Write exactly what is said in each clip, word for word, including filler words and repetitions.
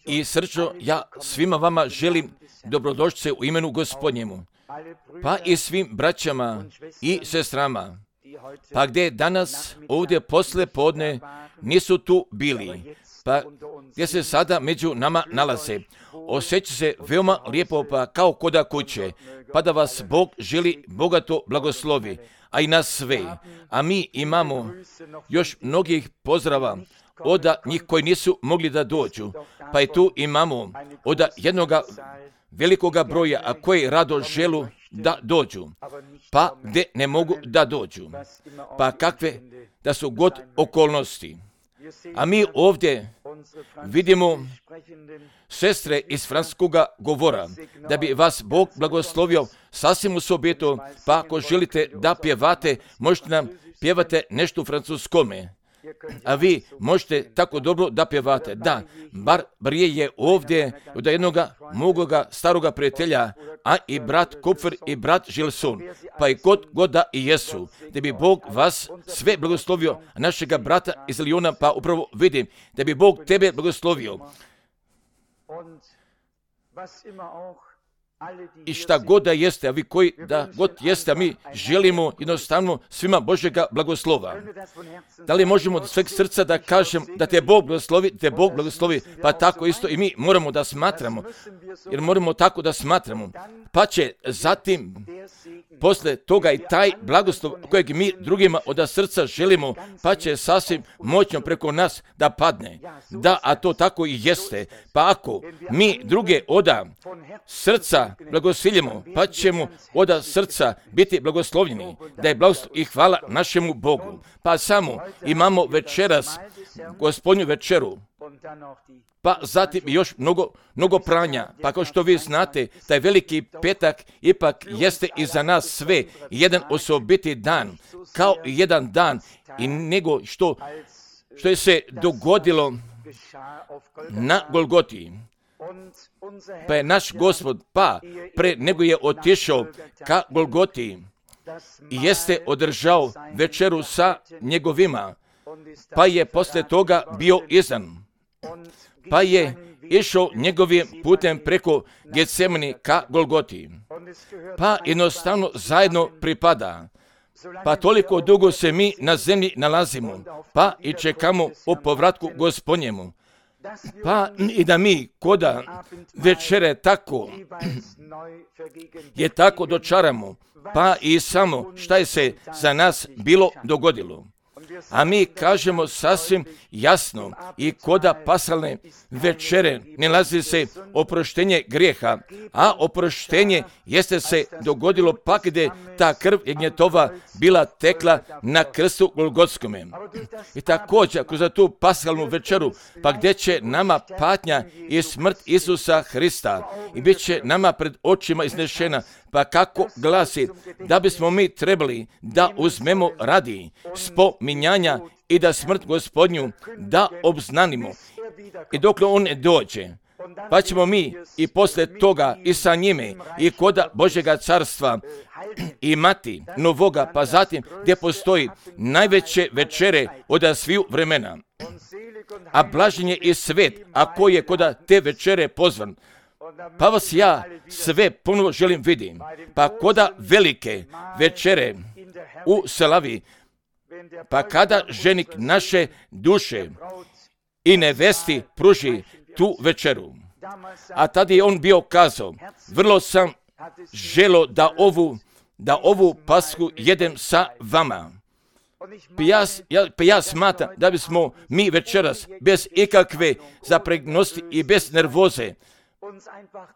I srčno ja svima vama želim dobrodošlice u imenu Gospodnjemu, pa i svim braćama i sestrama, pa gdje danas ovdje posle podne nisu tu bili, pa gdje se sada među nama nalaze. Osjeća se veoma lijepo, pa kao koda kuće, pa da vas Bog želi bogato blagoslovi, a i nas sve. A mi imamo još mnogih pozdrava od njih koji nisu mogli da dođu, pa i tu imamo od jednoga velikoga broja, a koji rado želu da dođu, pa gdje ne mogu da dođu, pa kakve da su god okolnosti. A mi ovdje vidimo sestre iz francuskoga govora, da bi vas Bog blagoslovio sasvim osobito, pa ako želite da pjevate, možete nam pjevate nešto u francuskome. A vi možete tako dobro da pjevate. Da, bar Brije je ovdje od jednoga mogoga staroga prijatelja, a i brat Kupfer i brat Žilson, pa i god god da i jesu, da bi Bog vas sve blagoslovio, a našega brata iz Lijona, pa upravo vidim da bi Bog tebe blagoslovio. I šta god da jeste, a vi koji da god jeste, a mi želimo jednostavno svima Božjega blagoslova. Da li možemo od sveg srca da kažem da te Bog blagoslovi, da te Bog blagoslovi, pa tako isto i mi moramo da smatramo, jer moramo tako da smatramo. Pa će zatim posle toga i taj blagoslov kojeg mi drugima od srca želimo, pa će sasvim moćno preko nas da padne. Da, a to tako i jeste. Pa ako mi druge oda srca blagosiljemo, pa ćemo oda srca biti blagoslovljeni, da je blagoslov i hvala našemu Bogu. Pa samo imamo večeras Gospodnju večeru, pa zatim još mnogo, mnogo pranja. Pa kao što vi znate, taj veliki petak ipak jeste i za nas sve jedan osobiti dan, kao jedan dan i nego što, što je se dogodilo na Golgoti. Pa je naš Gospod, pa pre nego je otišao ka Golgoti, jeste održao večeru sa njegovima, pa je posle toga bio izdan. Pa je išao njegovim putem preko Getsemani ka Golgoti. Pa jednostavno zajedno pripada. Pa toliko dugo se mi na zemlji nalazimo, pa i čekamo o povratku Gospodnjemu. Pa i da mi koda večere tako je tako dočaramo, pa i samo šta je se za nas bilo dogodilo. A mi kažemo sasvim jasno i koda pasalne večere nalazi se oproštenje grijeha, a oproštenje jeste se dogodilo pa gdje ta krv jagnjetova bila tekla na krstu Golgotskome. I također kroz tu pasalnu večeru, pa gdje će nama patnja i smrt Isusa Hrista i bit će nama pred očima iznešena, pa kako glasi da bismo mi trebali da uzmemo radi spominjanja i da smrt Gospodnju da obznanimo. I dok on ne dođe, pa ćemo mi i posle toga i sa njime i koda Božjega carstva imati novoga, pa zatim gdje postoji najveće večere od sviju vremena. A blažen je i svet, a ko je koda te večere pozvan. Pa vas ja sve ponovo želim vidim. Pa koda velike večere u Selavi, pa kada ženik naše duše i nevesti pruži tu večeru. A tada je on bio kazao, vrlo sam želo da ovu, da ovu pasku jedem sa vama. Pa ja, ja, pa ja smatram da bismo mi večeras bez ikakve zapregnosti i bez nervoze,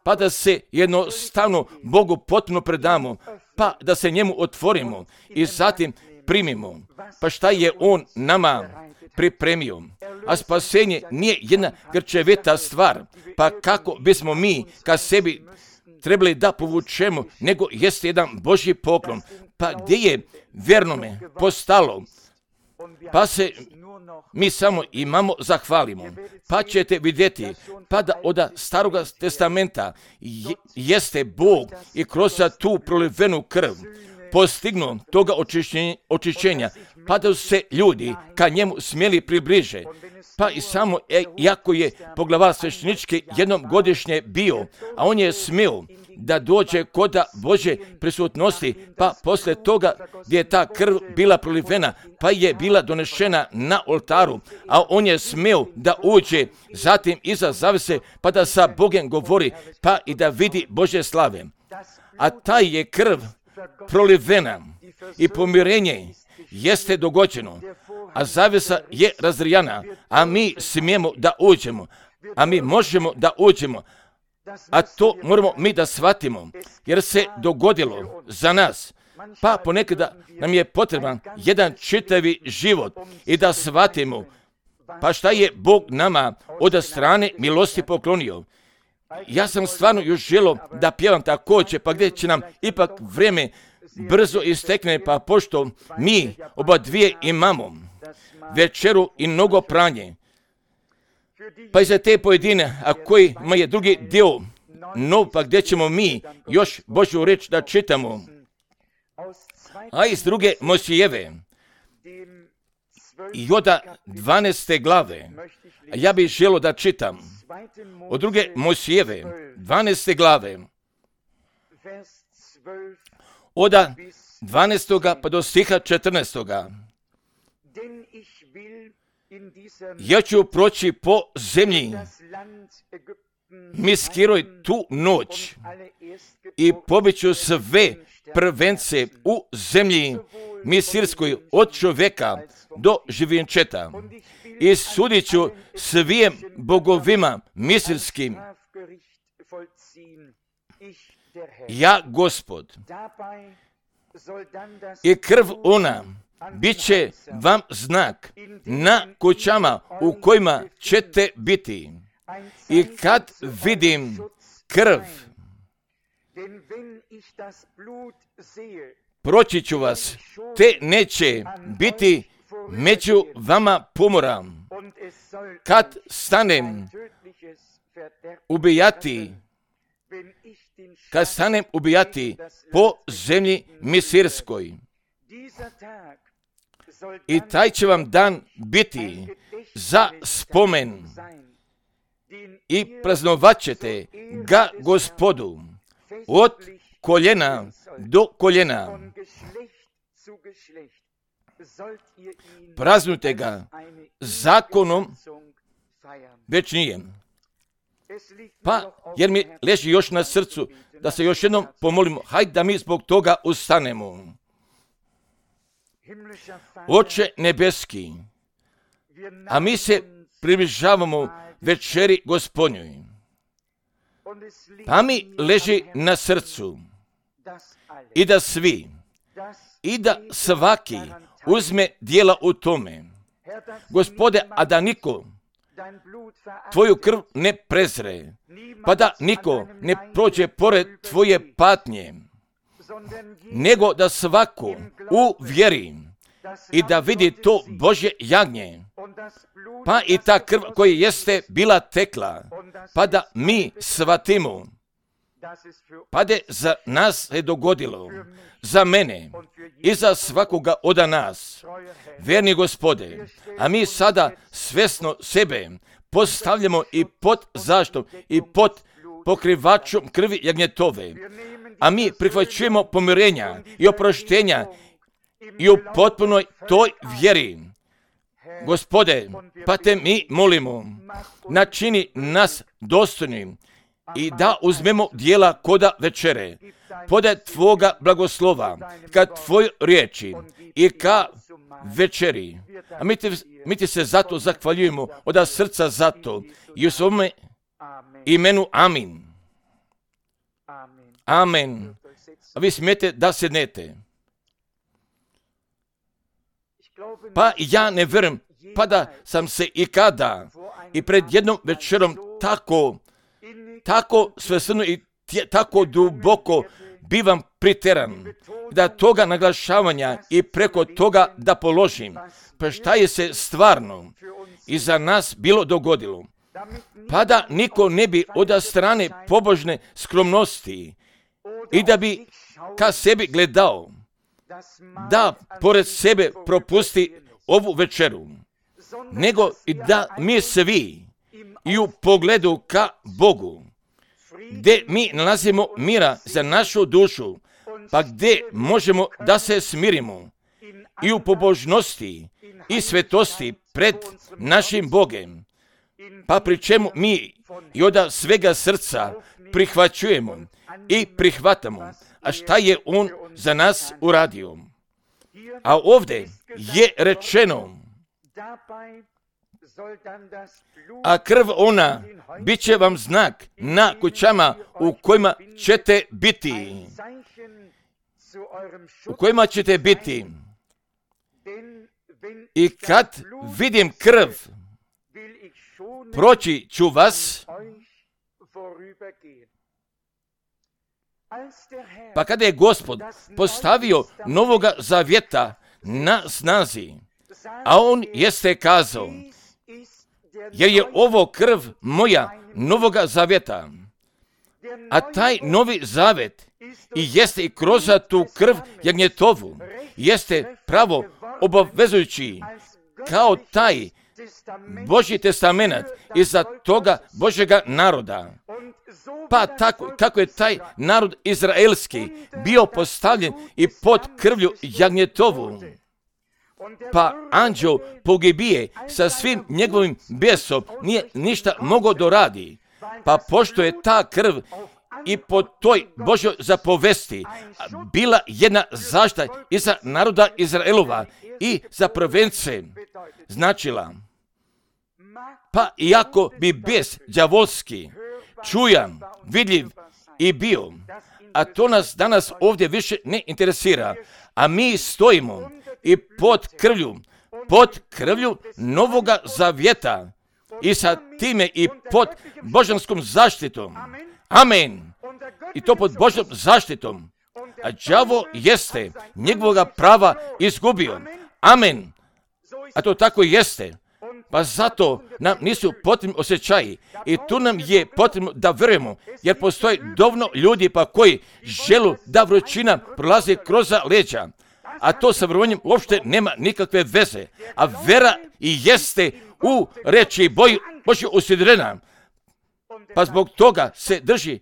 pa da se jednostavno Bogu potpuno predamo, pa da se njemu otvorimo i zatim primimo. Pa šta je on nama pripremio? A spasenje nije jedna grčevita stvar, pa kako bismo mi ka sebi trebali da povučemo, nego jeste jedan Božji poklon. Pa gdje je vjernome postalo, pa se mi samo imamo zahvalimo. Pa ćete vidjeti, pa da od Staroga testamenta jeste Bog i kroz tu prolivenu krv postignu toga očišćenja, očišćenja, pa da su se ljudi ka njemu smjeli približe. Pa i samo, e, iako je poglavar sveštenički jednom godišnje bio, a on je smio da dođe koda Božje prisutnosti, pa posle toga gdje je ta krv bila prolivena, pa je bila donešena na oltaru, a on je smio da uđe zatim iza zavese, pa da sa Bogom govori, pa i da vidi Božje slave. A taj je krv prolivena i pomirenje jeste dogođeno, a zavesa je razrijana, a mi smijemo da uđemo, a mi možemo da uđemo, a to moramo mi da shvatimo, jer se dogodilo za nas. Pa ponekada nam je potreban jedan čitavi život i da shvatimo, pa šta je Bog nama od strane milosti poklonio. Ja sam stvarno još želio da pjevam također, pa gdje će nam ipak vrijeme brzo istekne, pa pošto mi oba dvije imamo večeru i mnogo pranje, pa i za te pojedine, a kojima je drugi dio nov, pa gdje ćemo mi još Božju reč da čitamo, a iz druge Mojsijeve i od dvanaeste glave, a ja bih želio da čitam od druge Mojsijeve, dvanaeste glave, od dvanaestoga pa do stiha četrnaestoga. Ja ću proći po zemlji Miskiroj tu noć i pobiću sve prvence u zemlji Misirskoj od čovjeka do živinčeta i sudit ću svim bogovima misirskim. Ja, Gospod, i krv ona bit će vam znak na kućama u kojima ćete biti. I kad vidim krv, proći ću vas, te neće biti među vama pomora. Kad stanem ubijati, kad stanem ubijati po zemlji Misirskoj, i taj će vam dan biti za spomen i praznovat ćete ga Gospodu od koljena do koljena. Praznujte ga zakonom večnijem. Pa, jer mi leži još na srcu da se još jednom pomolimo, hajde da mi zbog toga ustanemo. Oče nebeski, a mi se približavamo večeri Gospodnjoj, pa mi leži na srcu i da svi, i da svaki uzme dijela u tome. Gospode, a da niko tvoju krv ne prezre, pa da niko ne prođe pored tvoje patnje, nego da svako u vjeri i da vidi to Božje jagnje, pa i ta krv koja jeste bila tekla, pa da mi shvatimo, pa da za nas se dogodilo, za mene i za svakoga od nas. Verni Gospode, a mi sada svjesno sebe postavljamo i pod zaštom i pod pokrivačom krvi jagnjetove, a mi prihvaćujemo pomirenja i oproštenja i u potpunoj toj vjeri. Gospode, pa te mi molimo, načini nas dostojnim i da uzmemo dijela koda večere, podaj tvoga blagoslova, ka tvoj riječi i ka večeri. A mi ti, mi ti se zato zahvaljujemo od srca zato i u svome imenu amin. Amen. A vi smijete da sednete. Pa ja ne vjerujem, pa da sam se i kada i pred jednom večerom tako, tako svesno i tje, tako duboko bivam priteran, da toga naglašavanja i preko toga da položim, pa šta je se stvarno i za nas bilo dogodilo, pa da niko ne bi od strane pobožne skromnosti i da bi ka sebi gledao, da pored sebe propusti ovu večeru, nego i da mi svi i u pogledu ka Bogu, gdje mi nalazimo mira za našu dušu, pa gdje možemo da se smirimo i u pobožnosti i svetosti pred našim Bogem, pa pri čemu mi i od svega srca prihvaćujemo i prihvatamo, a šta je On za nas uradio. A ovdje je rečeno, a krv ona bit će vam znak na kućama u kojima ćete biti. U kojima ćete biti. I kad vidim krv, proći ću vas. Pa kada je Gospod postavio novoga zavjeta na snazi, a On jeste kazao, jer je ovo krv moja novoga zavjeta, a taj novi zavet i jeste i kroz tu krv jagnjetovu, jeste pravo obavezujući kao taj Božji testament iza toga Božjega naroda. Pa tako kako je taj narod izraelski bio postavljen i pod krvlju jagnjetovu, pa anđeo pogibije sa svim njegovim besom nije ništa mogao doradi, pa pošto je ta krv i po toj Božjoj zapovesti bila jedna zaštita i za naroda Izraelova i za prvence značila, pa iako bi bes đavolski čujan, vidljiv i bio, a to nas danas ovdje više ne interesira, a mi stojimo i pod krvlju, pod krvlju novoga zavjeta i sa time i pod božanskom zaštitom. Amen. I to pod Božjom zaštitom. A đavo jeste njegovoga prava izgubio. Amen. A to tako jeste. Pa zato nam nisu potrebni osjećaji i tu nam je potrebno da vjerujemo, jer postoji dovoljno ljudi pa koji želu da vrućina prolazi kroz leđa, a to sa vjerovanjem uopšte nema nikakve veze, a vera i jeste u reči Božje usidrena, pa zbog toga se drži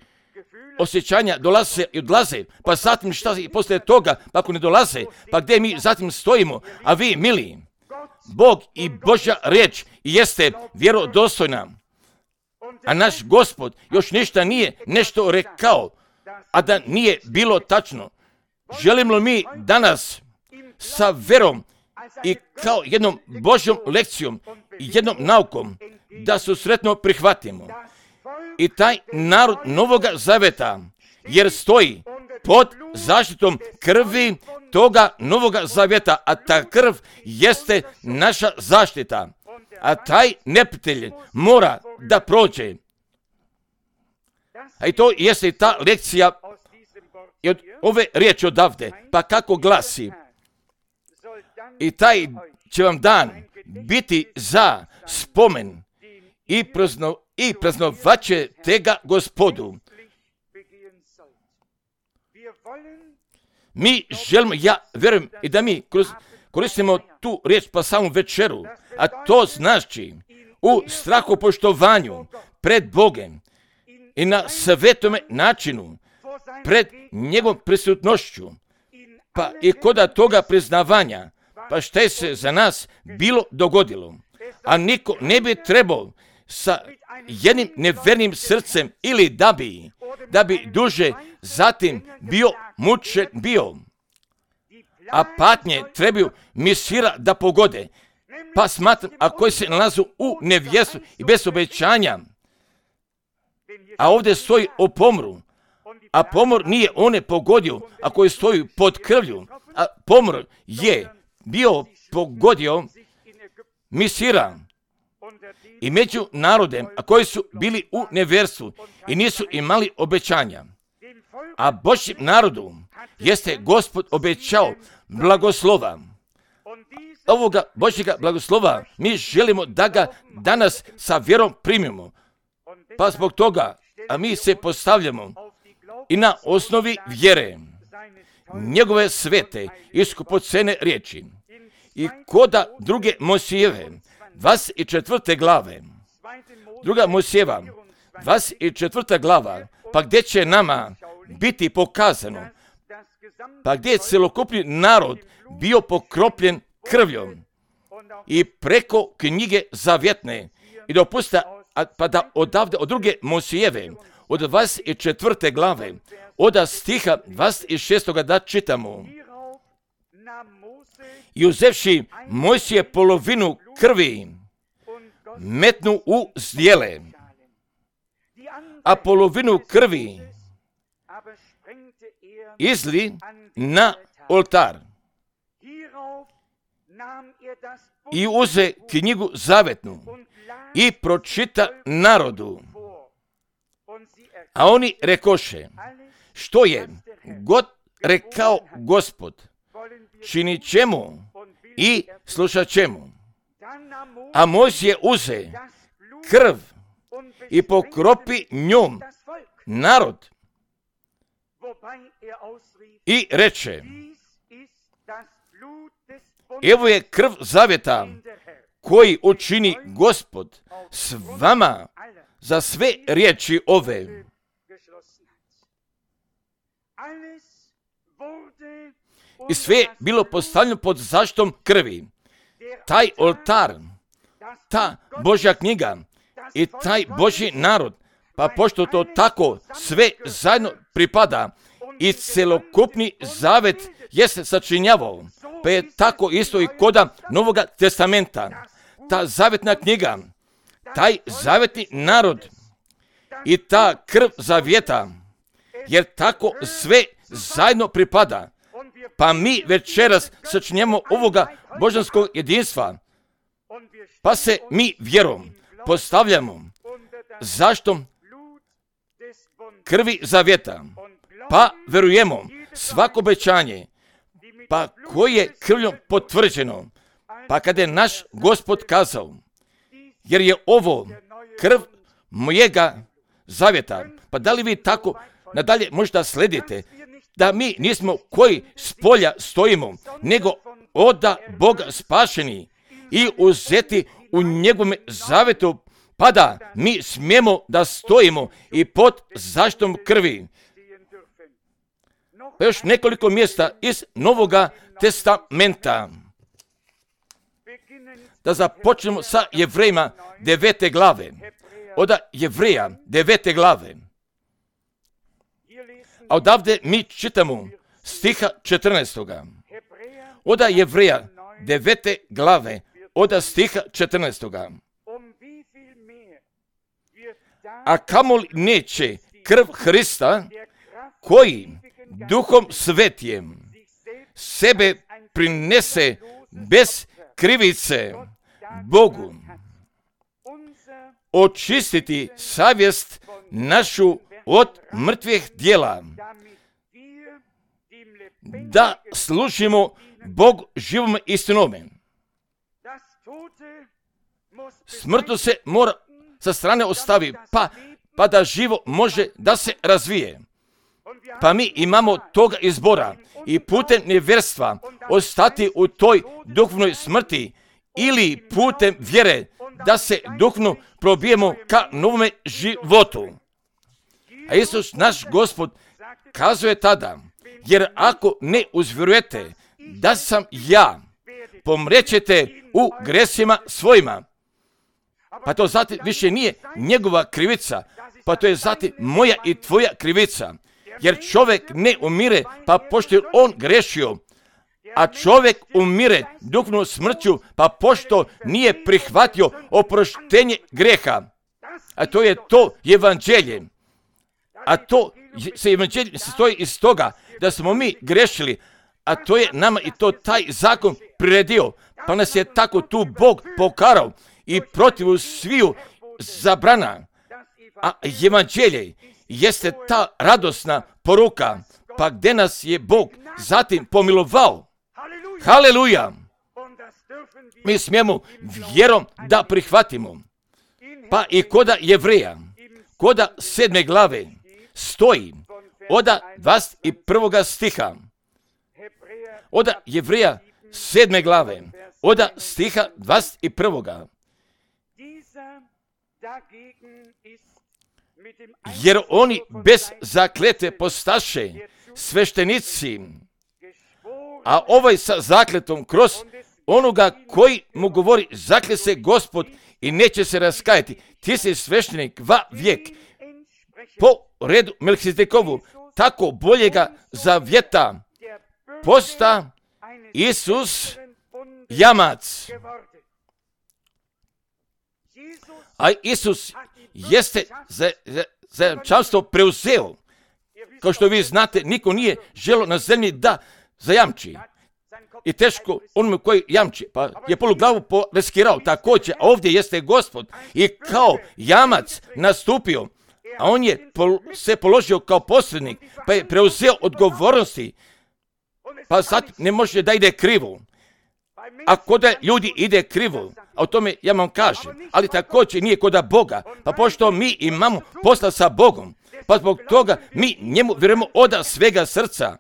osjećanja, dolaze i odlaze, pa zatim šta i poslije toga, pa ako ne dolaze, pa gdje mi zatim stojimo, a vi mili, Bog i Božja riječ jeste vjerodostojna, a naš Gospod još ništa nije nešto rekao, a da nije bilo tačno. Želimo mi danas sa verom i kao jednom Božjom lekcijom i jednom naukom da susretno prihvatimo i taj narod novoga zaveta, jer stoji pod zaštitom krvi toga novoga zavjeta, a ta krv jeste naša zaštita, a taj neprijatelj mora da prođe. A i to jeste ta lekcija i od ove riječi odavde, pa kako glasi, i taj će vam dan biti za spomen i, prazno, i praznovat će tega Gospodu. Mi želimo, ja vjerujem i da mi kroz, koristimo tu riječ pa samu večeru, a to znači u strahopoštovanju pred Bogem i na svetome načinu pred njegovom prisutnošću, pa i kod toga priznavanja, pa šta je se za nas bilo dogodilo, a niko ne bi trebao sa jednim nevernim srcem ili da bi, da bi duže zatim bio mučen bio, a patnje trebaju misira da pogode, pa smatram, a koji se nalazu u nevjestu i bez obećanja, a ovdje stoji o pomru, a pomor nije one pogodio, a koji stoji pod krvlju, a pomor je bio pogodio misira i među narodem, a koji su bili u nevjerstvu i nisu imali obećanja. A Božjem narodu jeste Gospod obećao blagoslova. Ovoga Božjega blagoslova mi želimo da ga danas sa vjerom primimo. Pa zbog toga, a mi se postavljamo i na osnovi vjere njegove svete i skupocene riječi. I koda druge Mojsijeve, dvadeset četvrte glave, druga Mojsijeva, dvadeset četvrta glava, pa gdje će nama biti pokazano, pa gdje je celokupni narod bio pokropljen krvljom i preko knjige zavjetne i dopusta, pa da odavde od druge Mojsijeve, od dvadeset četvrte glave, od stiha dvadeset šestoga da čitamo. I uzevši Mojsije polovinu krvi, metnu u zdjele, a polovinu krvi izli na oltar. I uze knjigu zavetnu i pročita narodu. A oni rekoše, što je god rekao Gospod, činit ćemo i slušat ćemo. A Mojsije uze krv i pokropi njom narod i reče, evo je krv zavjeta koji učini Gospod s vama za sve riječi ove. I sve je bilo postavljeno pod zaštitom krvi. Taj oltar, ta Božja knjiga i taj Božji narod, pa pošto to tako sve zajedno pripada i celokupni zavet jeste sačinjavao, pa je tako isto i koda Novoga testamenta. Ta zavetna knjiga, taj zavetni narod i ta krv zavjeta, jer tako sve zajedno pripada. Pa mi večeras sačinjemo ovoga božanskog jedinstva, pa se mi vjerom postavljamo zašto krvi zavjeta, pa verujemo svako obećanje, pa koje je krvljom potvrđeno, pa kada je naš Gospod kazao, jer je ovo krv mojega zavjeta, pa da li vi tako nadalje možda sledite, da mi nismo koji s polja stojimo, nego oda Boga spašeni i uzeti u njegovom zavetu, pa da mi smijemo da stojimo i pod zaštitom krvi. Pa još nekoliko mjesta iz Novoga testamenta. Da započnemo sa Jevrejima devete glave. Od Jevreja devete glave. A odavde mi čitamo stiha četrnaestoga. Od Jevreja devete glave, od stiha četrnaestoga. A kamoli neće krv Hrista, koji Duhom Svetijem sebe prinese bez krivice Bogu, očistiti savjest našu od mrtvih djela, da služimo Bogu živom istinome. Smrtno se mora sa strane ostavi, pa, pa da živo može da se razvije. Pa mi imamo toga izbora i putem nevjerstva ostati u toj duhovnoj smrti ili putem vjere da se duhovno probijemo ka novome životu. A Isus, naš Gospod, kazuje tada, jer ako ne uzvjerujete da sam ja, pomrećete u gresima svojima. Pa to zatim više nije njegova krivica, pa to je zatim moja i tvoja krivica. Jer čovjek ne umire, pa pošto je on grešio, a čovjek umire duhovnom smrću, pa pošto nije prihvatio oproštenje greha. A to je to evanđelje. A to se evanđelje sastoji iz toga da smo mi grešili, a to je nama i to taj zakon priredio, pa nas je tako tu Bog pokarao i protiv sviju zabrana. A evanđelje jeste ta radosna poruka, pa gdje nas je Bog zatim pomilovao. Haleluja! Mi smijemo vjerom da prihvatimo. Pa i koda Jevreja, koda sedme glave, stoji od dvadeset prvoga stiha. od Jevreja sedme glave, od stiha dvadeset prvoga. Jer oni bez zakletve postaše sveštenici, a ovaj sa zakletom kroz onoga koji mu govori, zakle se Gospod i neće se raskajati. Ti si sveštenik va vijek po redu Melkizedekovu, tako boljega zavjeta posta Isus jamac. A Isus jeste za, za, zajamčanstvo preuzeo. Kao što vi znate, niko nije želio na zemlji da zajamči. I teško onome koji jamči, pa je poluglavu riskirao također, a ovdje jeste Gospod i kao jamac nastupio, a on je pol, se položio kao posrednik, pa je preuzeo odgovornosti, pa sad ne može da ide krivo. Ako da ljudi ide krivo, a o tome ja vam kažem, ali također nije kod Boga, pa pošto mi imamo posla sa Bogom, pa zbog toga mi njemu vjerujemo od svega srca,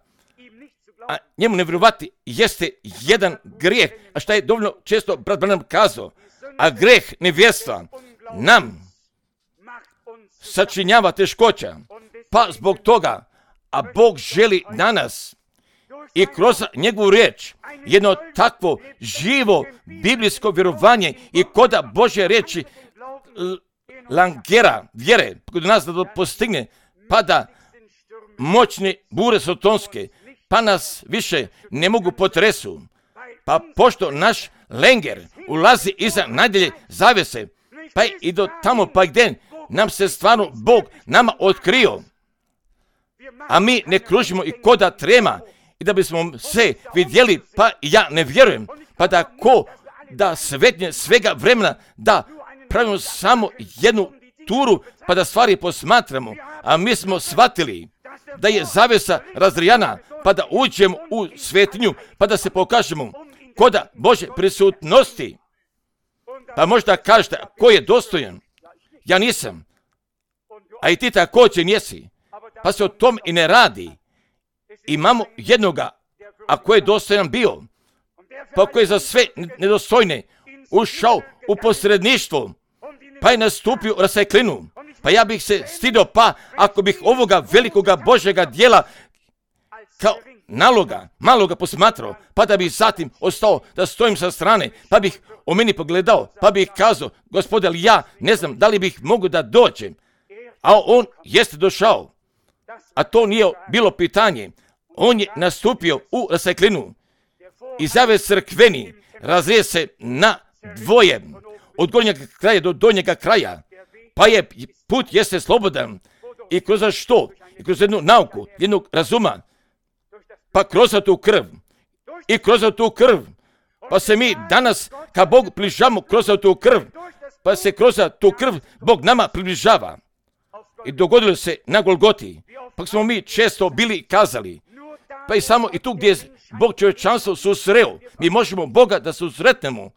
a njemu ne vjerovati jeste jedan grijeh, a šta je dovoljno često brat Branham kazao, a grijeh nevjerstva nam sačinjava teškoća, pa zbog toga, a Bog želi danas i kroz njegovu riječ jedno takvo živo biblijsko vjerovanje i koda Božje riječi langera, vjere, kod nas da to postigne, pa da moćne bure sotonske, pa nas više ne mogu potresu. Pa pošto naš lenger ulazi iza najdjelje zavese, pa i do tamo pa gdje nam se stvarno Bog nama otkrio, a mi ne kružimo i koda trema, i da bismo se vidjeli, pa ja ne vjerujem, pa da ko da svetnje svega vremena, da pravimo samo jednu turu, pa da stvari posmatramo, a mi smo shvatili da je zavesa razrijana, pa da uđemo u svetinju, pa da se pokažemo koda Bože prisutnosti. Pa možda kažete, ko je dostojan? Ja nisam, a i ti također nisi, pa se o tom i ne radi. Imamo jednoga, a ko je dostojan bio, pa ko je za sve nedostojne ušao u posredništvo, pa je nastupio u raseklinu. Pa ja bih se stidio, pa ako bih ovoga velikoga Božjega dijela kao naloga, maloga posmatrao, pa da bih zatim ostao da stojim sa strane, pa bih o meni pogledao, pa bih kazao, Gospode, ali ja ne znam da li bih mogu da dođem, a on jeste došao, a to nije bilo pitanje. On je nastupio u raseklinu i zaves crkveni razrije se na dvoje, od gornjega kraja do donjega kraja, pa je put jeste slobodan i kroz što? I kroz jednu nauku, jednog razuma, pa kroz tu krv i kroz tu krv, pa se mi danas ka Bogu približamo kroz tu krv, pa se kroz tu krv Bog nama približava. I dogodilo se na Golgoti, pa smo mi često bili kazali, pa i samo i tu gdje je Bog čovječanstvo susreo, mi možemo Boga da susretnemo,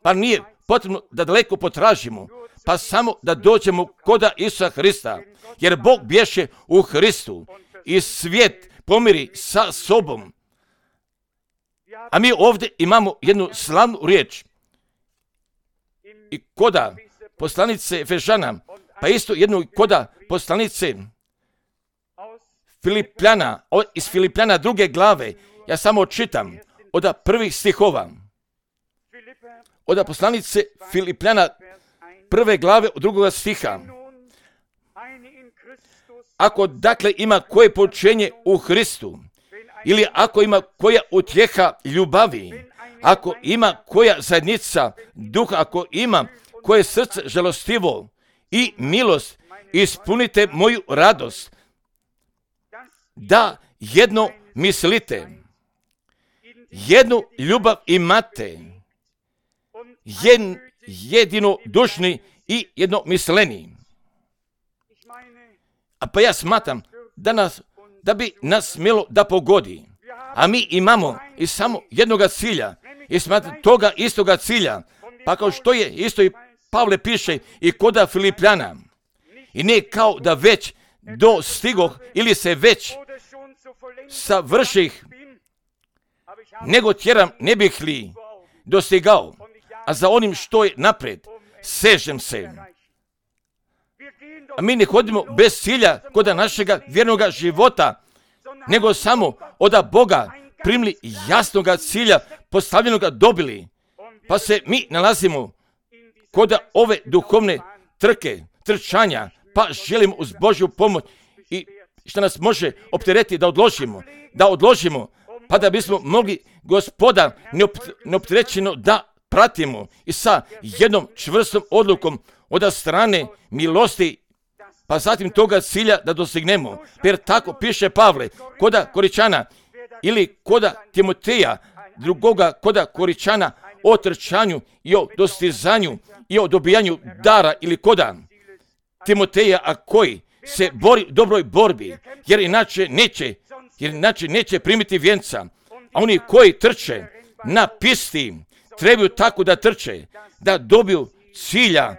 pa nije potrebno da daleko potražimo, pa samo da dođemo koda Isusa Hrista, jer Bog bješe u Hristu i svijet pomiri sa sobom. A mi ovdje imamo jednu slavnu riječ i koda poslanice Efežana, pa isto jednu koda poslanice Filipljana, iz Filipljana druge glave, ja samo čitam od prvih stihova, od poslanice Filipljana prve glave od drugoga stiha. Ako dakle ima koje počenje u Hristu, ili ako ima koja utjeha ljubavi, ako ima koja zajednica duha, ako ima koje srce žalostivo i milost, ispunite moju radost, da jedno mislite, jednu ljubav imate, jed, jedino dušni i jedno misleni. A pa ja smatram da, nas, da bi nas smjelo da pogodi. A mi imamo i samo jednoga cilja i smatram toga istoga cilja. Pa kao što je isto i Pavle piše i koda Filipljana. I ne kao da već dostigoh ili se već savrših, nego tjeram ne bih li dostigao, a za onim što je napred sežem se. A mi ne hodimo bez cilja kod našega vjernoga života, nego samo od Boga primili jasnoga cilja, postavljenoga dobili, pa se mi nalazimo kod ove duhovne trke, trčanja, pa želimo uz Božju pomoć i što nas može opteretiti da odložimo, da odložimo, pa da bismo mogli Gospoda neopterećeno da pratimo i sa jednom čvrstom odlukom od strane milosti, pa zatim toga cilja da dostignemo. Jer tako piše Pavle, koda Koričana ili koda Timoteja, drugoga koda Koričana o trčanju i o dostizanju i o dobijanju dara ili koda Timoteja, a koji se bori u dobroj borbi, jer inače neće, jer inače neće primiti vjenca. A oni koji trče na pisti trebaju tako da trče, da dobiju cilja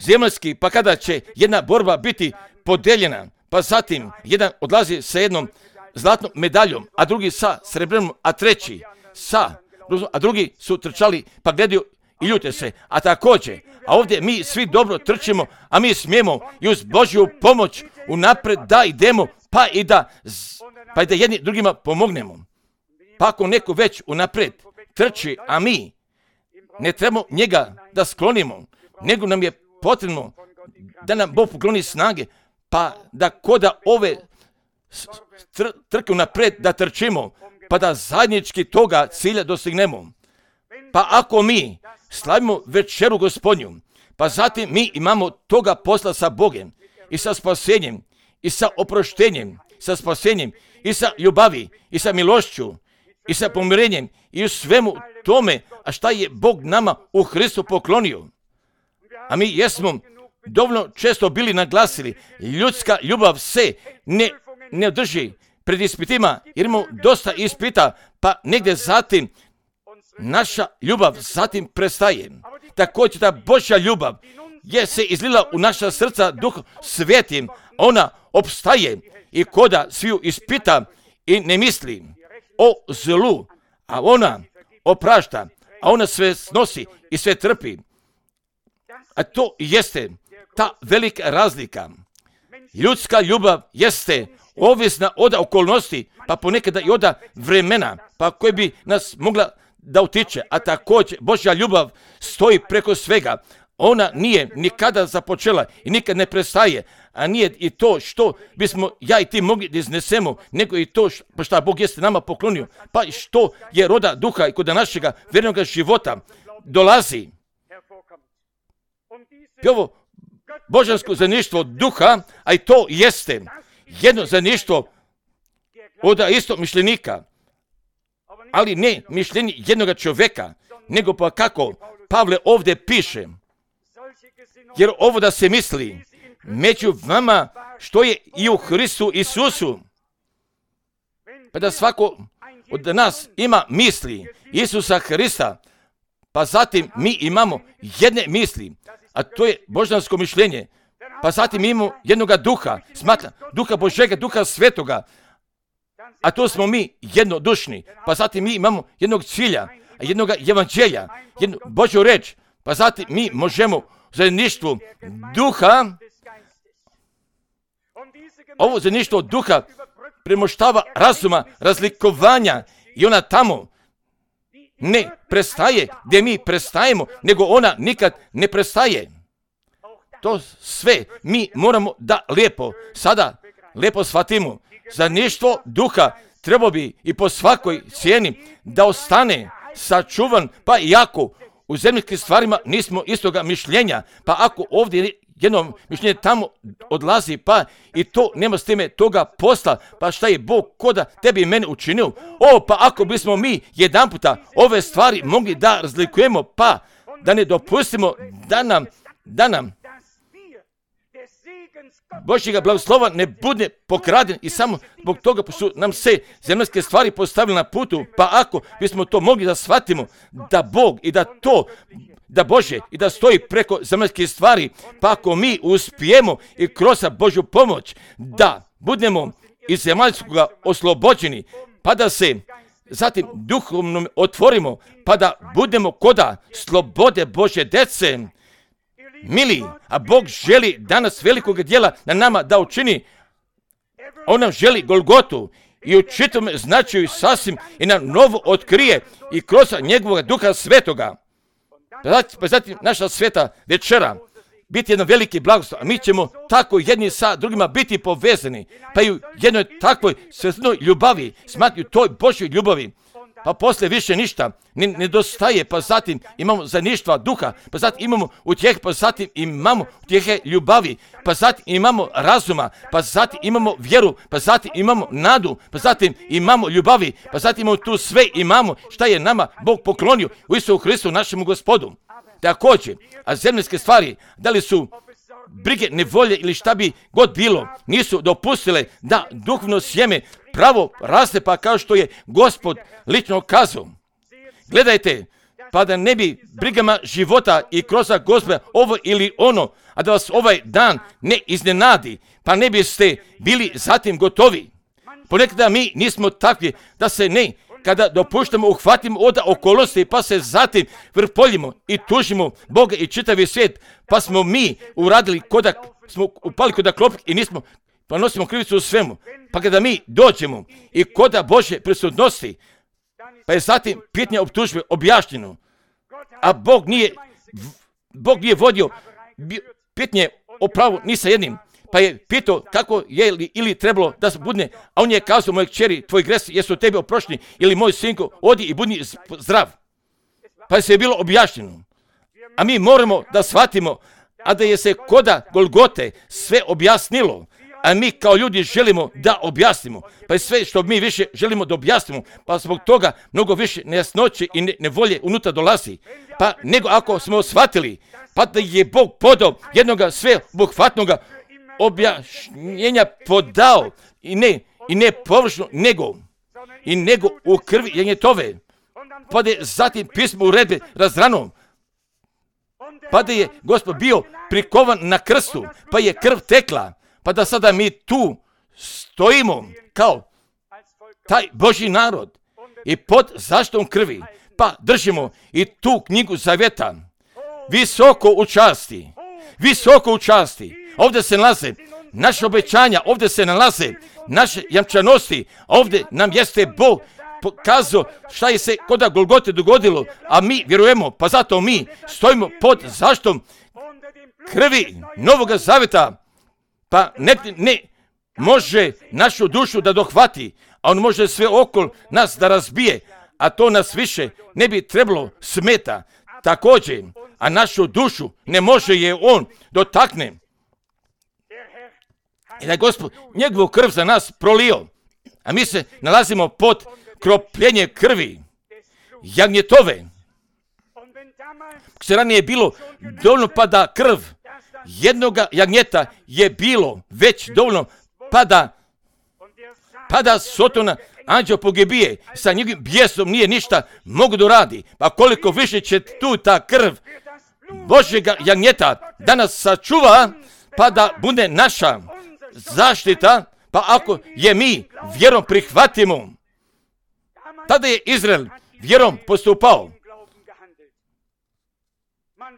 zemaljski, pa kada će jedna borba biti podeljena, pa zatim jedan odlazi sa jednom zlatnom medaljom, a drugi sa srebrnom, a treći sa, a drugi su trčali pa gledaju i ljute se, a također, a ovdje mi svi dobro trčimo, a mi smijemo i uz Božju pomoć unapred da idemo, pa i da, pa i da jedni drugima pomognemo. Pa ako neko već unapred trči, a mi ne trebamo njega da sklonimo, nego nam je potrebno da nam Bog pokloni snage, pa da koda ove tr- trke unapred da trčimo, pa da zajednički toga cilja dostignemo. Pa ako mi slavimo večeru Gospodnju, pa zatim mi imamo toga posla sa Bogom i sa spasenjem i sa oproštenjem, sa spasenjem i sa ljubavi i sa milošću i sa pomirenjem i u svemu tome, a šta je Bog nama u Hristu poklonio. A mi jesmo dovoljno često bili naglasili, ljudska ljubav se ne, ne drži pred ispitima, jer imamo dosta ispita, pa negdje zatim naša ljubav zatim prestaje. Također ta Božja ljubav je se izlila u naša srca Duhom Svetim, ona opstaje i koda sviju ispita i ne misli o zlu, a ona oprašta, a ona sve snosi i sve trpi. A to jeste ta velika razlika. Ljudska ljubav jeste ovisna od okolnosti, pa ponekada i od vremena, pa koje bi nas mogla da utiče, a također Božja ljubav stoji preko svega. Ona nije nikada započela i nikad ne prestaje, a nije i to što bismo ja i ti mogli da iznesemo, nego i to što Bog jeste nama poklonio, pa i što je roda duha i kod našega vjernog života dolazi. I ovo božansko zajedništvo duha, a i to jeste jedno zajedništvo od istog mišljenika, ali ne mišljenje jednog čovjeka, nego pa kako Pavle ovdje piše, jer ovo da se misli među vama što je i u Hristu Isusu, pa da svako od nas ima misli Isusa Hrista, pa zatim mi imamo jedne misli, a to je božansko mišljenje, pa zatim imamo jednoga duha, smatra, duha Božega, duha svetoga, a to smo mi jednodušni, pa zatim mi imamo jednog cilja, jednog evanđelja, jednu Božju reč, pa zatim mi možemo u zajedništvu duha, ovo zajedništvo duha premoštava razuma, razlikovanja i ona tamo ne prestaje gdje mi prestajemo, nego ona nikad ne prestaje. To sve mi moramo da lijepo, sada lijepo shvatimo. Zajedništvo duha treba bi i po svakoj cijeni da ostane sačuvan, pa iako u zemljskim stvarima nismo istoga mišljenja, pa ako ovdje jedno mišljenje tamo odlazi, pa i to nema s time toga posla, pa šta je Bog koda tebi i mene učinio? O, pa ako bismo mi jedan puta ove stvari mogli da razlikujemo, pa da ne dopustimo da nam, da nam Božjega blagoslova ne bude pokraden i samo zbog toga su nam se zemaljske stvari postavili na putu, pa ako bismo to mogli da shvatimo da Bog i da to, da Bože i da stoji preko zemaljskih stvari, pa ako mi uspijemo i kroz Božju pomoć da budemo iz zemaljskoga oslobođeni, pa da se zatim duhovno otvorimo, pa da budemo koda slobode Božje dece. Mili, a Bog želi danas velikog djela na nama da učini. On nam želi Golgotu i u čitom značaju sasvim i nam novo otkrije i kroz njegovog Duha Svetoga. Pa zatim naša sveta večera biti jedan veliki blagoslov, a mi ćemo tako jedni sa drugima biti povezani, pa i u jednoj takvoj svetloj ljubavi, smatri toj Božjoj ljubavi, pa posle više ništa ne nedostaje, pa zatim imamo zajedništva duha, pa zatim imamo utjeh, pa zatim imamo utjehe ljubavi, pa zatim imamo razuma, pa zatim imamo vjeru, pa zatim imamo nadu, pa zatim imamo ljubavi, pa zatim imamo tu sve imamo šta je nama Bog poklonio u Isusu Hristu našemu Gospodu. Također, a zemljske stvari, da li su brige, nevolje ili šta bi god bilo, nisu dopustile da duhovno sjeme pravo raste, pa kao što je Gospod lično kazao. Gledajte, pa da ne bi brigama života i kroz Gospoda ovo ili ono, a da vas ovaj dan ne iznenadi, pa ne biste bili zatim gotovi. Ponekada mi nismo takvi da se ne, kada dopuštamo, uhvatimo od okolnosti, pa se zatim vrpoljimo i tužimo Boga i čitavi svijet, pa smo mi uradili koda, smo upali koda klopke i nismo, pa nosimo krivicu u svemu. Pa kada mi dođemo i koda Božje prisutnosti, pa je zatim pitanje optužbe objašnjeno, a Bog nije, Bog nije vodio pitanje o pravu ni sa jednim, pa je pitao kako je li ili trebalo da se budne, a on je kazao, moje kćeri, tvoj gresi jesu tebe oprošteni, ili moj sinko, odi i budni zdrav. Pa je se bilo objašnjeno. A mi moramo da shvatimo, a da je se koda Golgote sve objasnilo, a mi kao ljudi želimo da objasnimo, pa je sve što mi više želimo da objasnimo, pa zbog toga mnogo više nejasnoće i ne, nevolje unutra dolazi. Pa nego ako smo shvatili, pa da je Bog podao jednoga sveobuhvatnoga objašnjenja podao i ne, i ne površno, nego i nego u krvi janjetove, pa da je zatim pismo uredbe razrano, pa da je Gospod bio prikovan na krstu, pa je krv tekla, pa da sada mi tu stojimo kao taj Božji narod i pod zaštitom krvi, pa držimo i tu knjigu zavjeta visoko u časti, visoko u časti. Ovdje se nalaze naše obećanja, ovdje se nalaze naše jamčanosti, ovdje nam jeste Bog pokazao šta je se koda Golgote dogodilo, a mi vjerujemo, pa zato mi stojimo pod zaštitom krvi Novoga Zavjeta, pa ne, ne može našu dušu da dohvati, a on može sve okolo nas da razbije, a to nas više ne bi trebalo smeta. Također, a našu dušu ne može je on dotakne. I da je Gospod njegovu krv za nas prolio, a mi se nalazimo pod kropljenje krvi jagnjetove. Se ranije je bilo dovoljno pa da krv jednoga jagnjeta je bilo već dovoljno pa da, pa da Sotona anđeo pogibije, sa njegovim bijesom nije ništa mogu da radi. Pa koliko više će tu ta krv Božjega jagnjeta da nas sačuva, pa da bude naša zaštita, pa ako je mi vjerom prihvatimo, tada je Izrael vjerom postupao.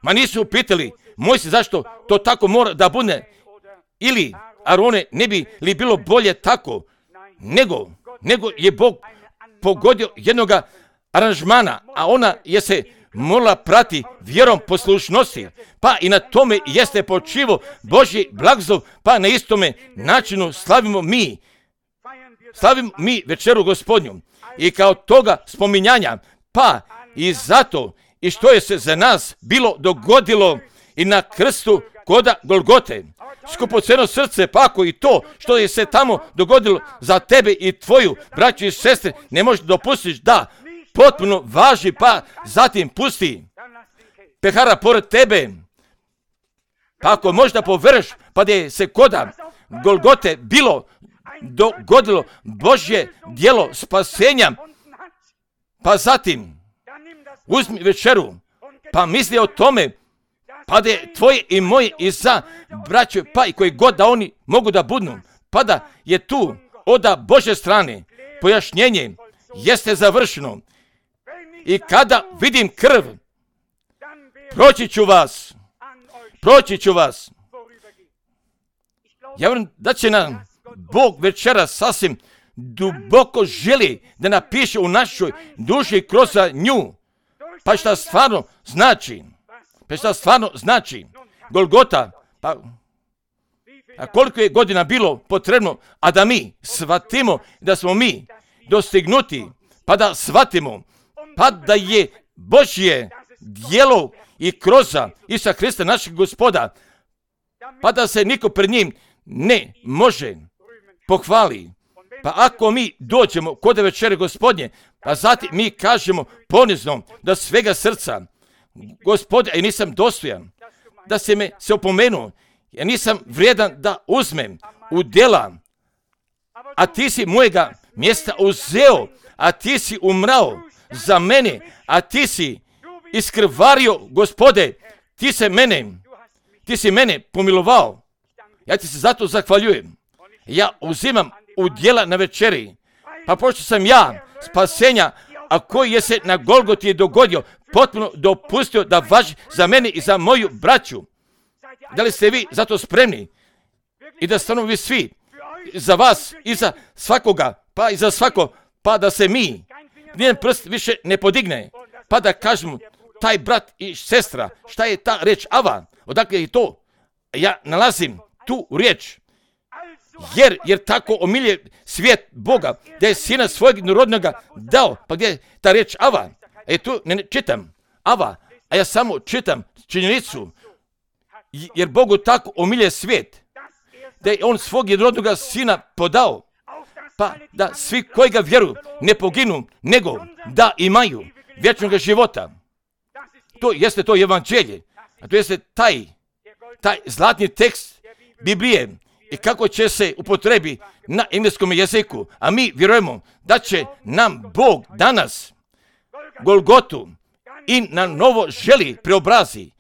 Ma nisu pitali Mojsije zašto to tako mora da bude, ili Arone ne bi li bilo bolje tako, nego, nego je Bog pogodio jednoga aranžmana, a ona je se morala prati vjerom poslušnosti, pa i na tome jeste počivo Božji blagoslov, pa na istome načinu slavimo mi, slavimo mi večeru Gospodnju i kao toga spominjanja, pa i zato i što je se za nas bilo dogodilo i na krstu koda Golgote. Skupoceno srce, pa ako i to što je se tamo dogodilo za tebe i tvoju braću i sestre ne možeš dopustiš da potpuno važi, pa zatim pusti pehara pored tebe. Pa ako možda poveruješ, pa da je se koda Golgote bilo dogodilo Božje djelo spasenja, pa zatim uzmi večeru, pa misli o tome, pa da je tvoje i moje i za braće, pa i koji god da oni mogu da budnu, pa da je tu od Božje strane pojašnjenje jeste završeno. I kada vidim krv, proći ću vas, proći ću vas. Ja vjerujem da će nam Bog večeras sasvim duboko želi da napiše u našoj duši kroz nju. Pa šta stvarno znači? Pa šta stvarno znači? Golgota, pa a koliko je godina bilo potrebno, a da mi shvatimo da smo mi dostignuti, pa da shvatimo, pa da je Božje djelo i kroz Isusa Hrista našeg Gospoda, pa da se niko pred njim ne može pohvali. Pa ako mi dođemo kod večere Gospodnje, pa zatim mi kažemo ponizno da svega srca, Gospode, ja nisam dostojan da se me se opomenuo, ja nisam vrijedan da uzmem u djela, a ti si mojega mjesta uzeo, a ti si umrao za mene, a ti si iskrvario, Gospode, ti se mene, ti si mene pomilovao. Ja ti se zato zahvaljujem. Ja uzimam u djela na večeri, pa pošto sam ja spasenja, a koji je se na Golgoti dogodio, potpuno dopustio da važi za mene i za moju braću. Da li ste vi zato spremni? I da stanu vi svi za vas i za svakoga, pa i za svako, pa da se mi nijedan prst više ne podigne, pa da kažemo taj brat i sestra, šta je ta reč Ava? Odakle je to? Ja nalazim tu riječ. Jer, jer tako omilje svijet Boga, da je sina svojeg jednorodnoga dao. Pa gdje je ta riječ Ava? E tu ne, ne čitam Ava, a ja samo čitam činjenicu. Jer Bogu tako omilje svijet, da je on svog jednorodnoga sina podao, pa da svi koji ga vjeruju ne poginu, nego da imaju vječnog života. To jeste to evanđelje, a to jeste taj, taj zlatni tekst Biblije i kako će se upotrebi na engleskom jeziku. A mi vjerujemo da će nam Bog danas Golgotu i na novo želi preobrazi,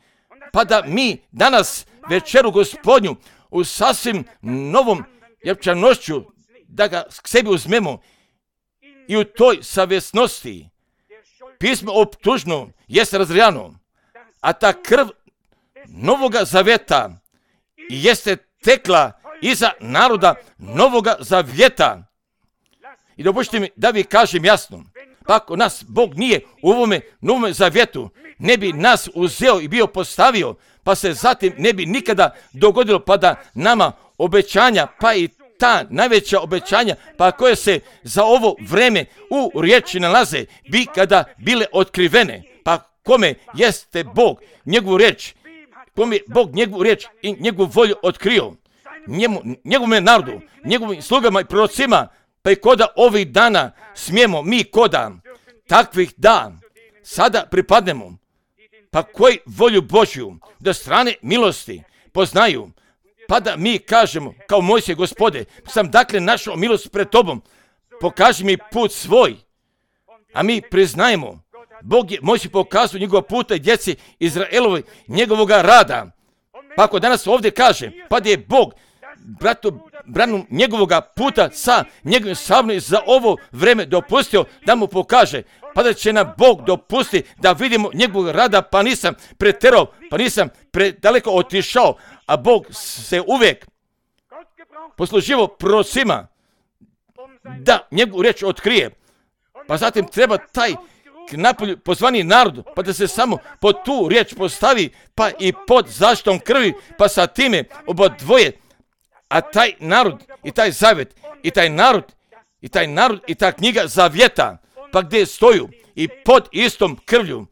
pa da mi danas večeru Gospodnju u sasvim novom jevčanošću da ga k sebi uzmemo i u toj savjesnosti pismo optužno jeste razrijano, a ta krv novoga zavjeta jeste tekla iza naroda novoga zavjeta. I dopustite mi da vi kažem jasno, pa ako nas Bog nije u ovome novome zavjetu, ne bi nas uzeo i bio postavio, pa se zatim ne bi nikada dogodilo, pa da nama obećanja, pa i ta najveća obećanja, pa koje se za ovo vreme u riječi nalaze, bi kada bile otkrivene. Pa kome jeste Bog njegovu riječ, kome je Bog njegovu riječ i njegovu volju otkrio, njemu, njegovom narodu, njegovim slugama i prorocima, pa i koda ovih dana smijemo mi koda takvih da sada pripadnemo, pa koji volju Božju da strane milosti poznaju, pa da mi kažemo kao Mojsije, Gospode, sam dakle našao milost pred tobom, pokaži mi put svoj, a mi priznajemo, Bog je Mojsije pokazao njegova puta i djeci Izraelovi njegovoga rada. Pa ako danas ovdje kaže, pa da je Bog bratu, branu njegovoga puta sa njegovim savnom za ovo vreme dopustio da mu pokaže, pa da će nam Bog dopustiti da vidimo njegovog rada, pa nisam preterao, pa nisam predaleko otišao, a Bog se uvijek posluživao prorocima da njegovu riječ otkrije, pa zatim treba taj napolju pozvani narod, pa da se samo pod tu riječ postavi, pa i pod zaštitom krvi, pa sa time obodvoje, a taj narod i taj zavjet i taj narod i taj narod i ta knjiga zavjeta, pa gdje stoju i pod istom krvlju,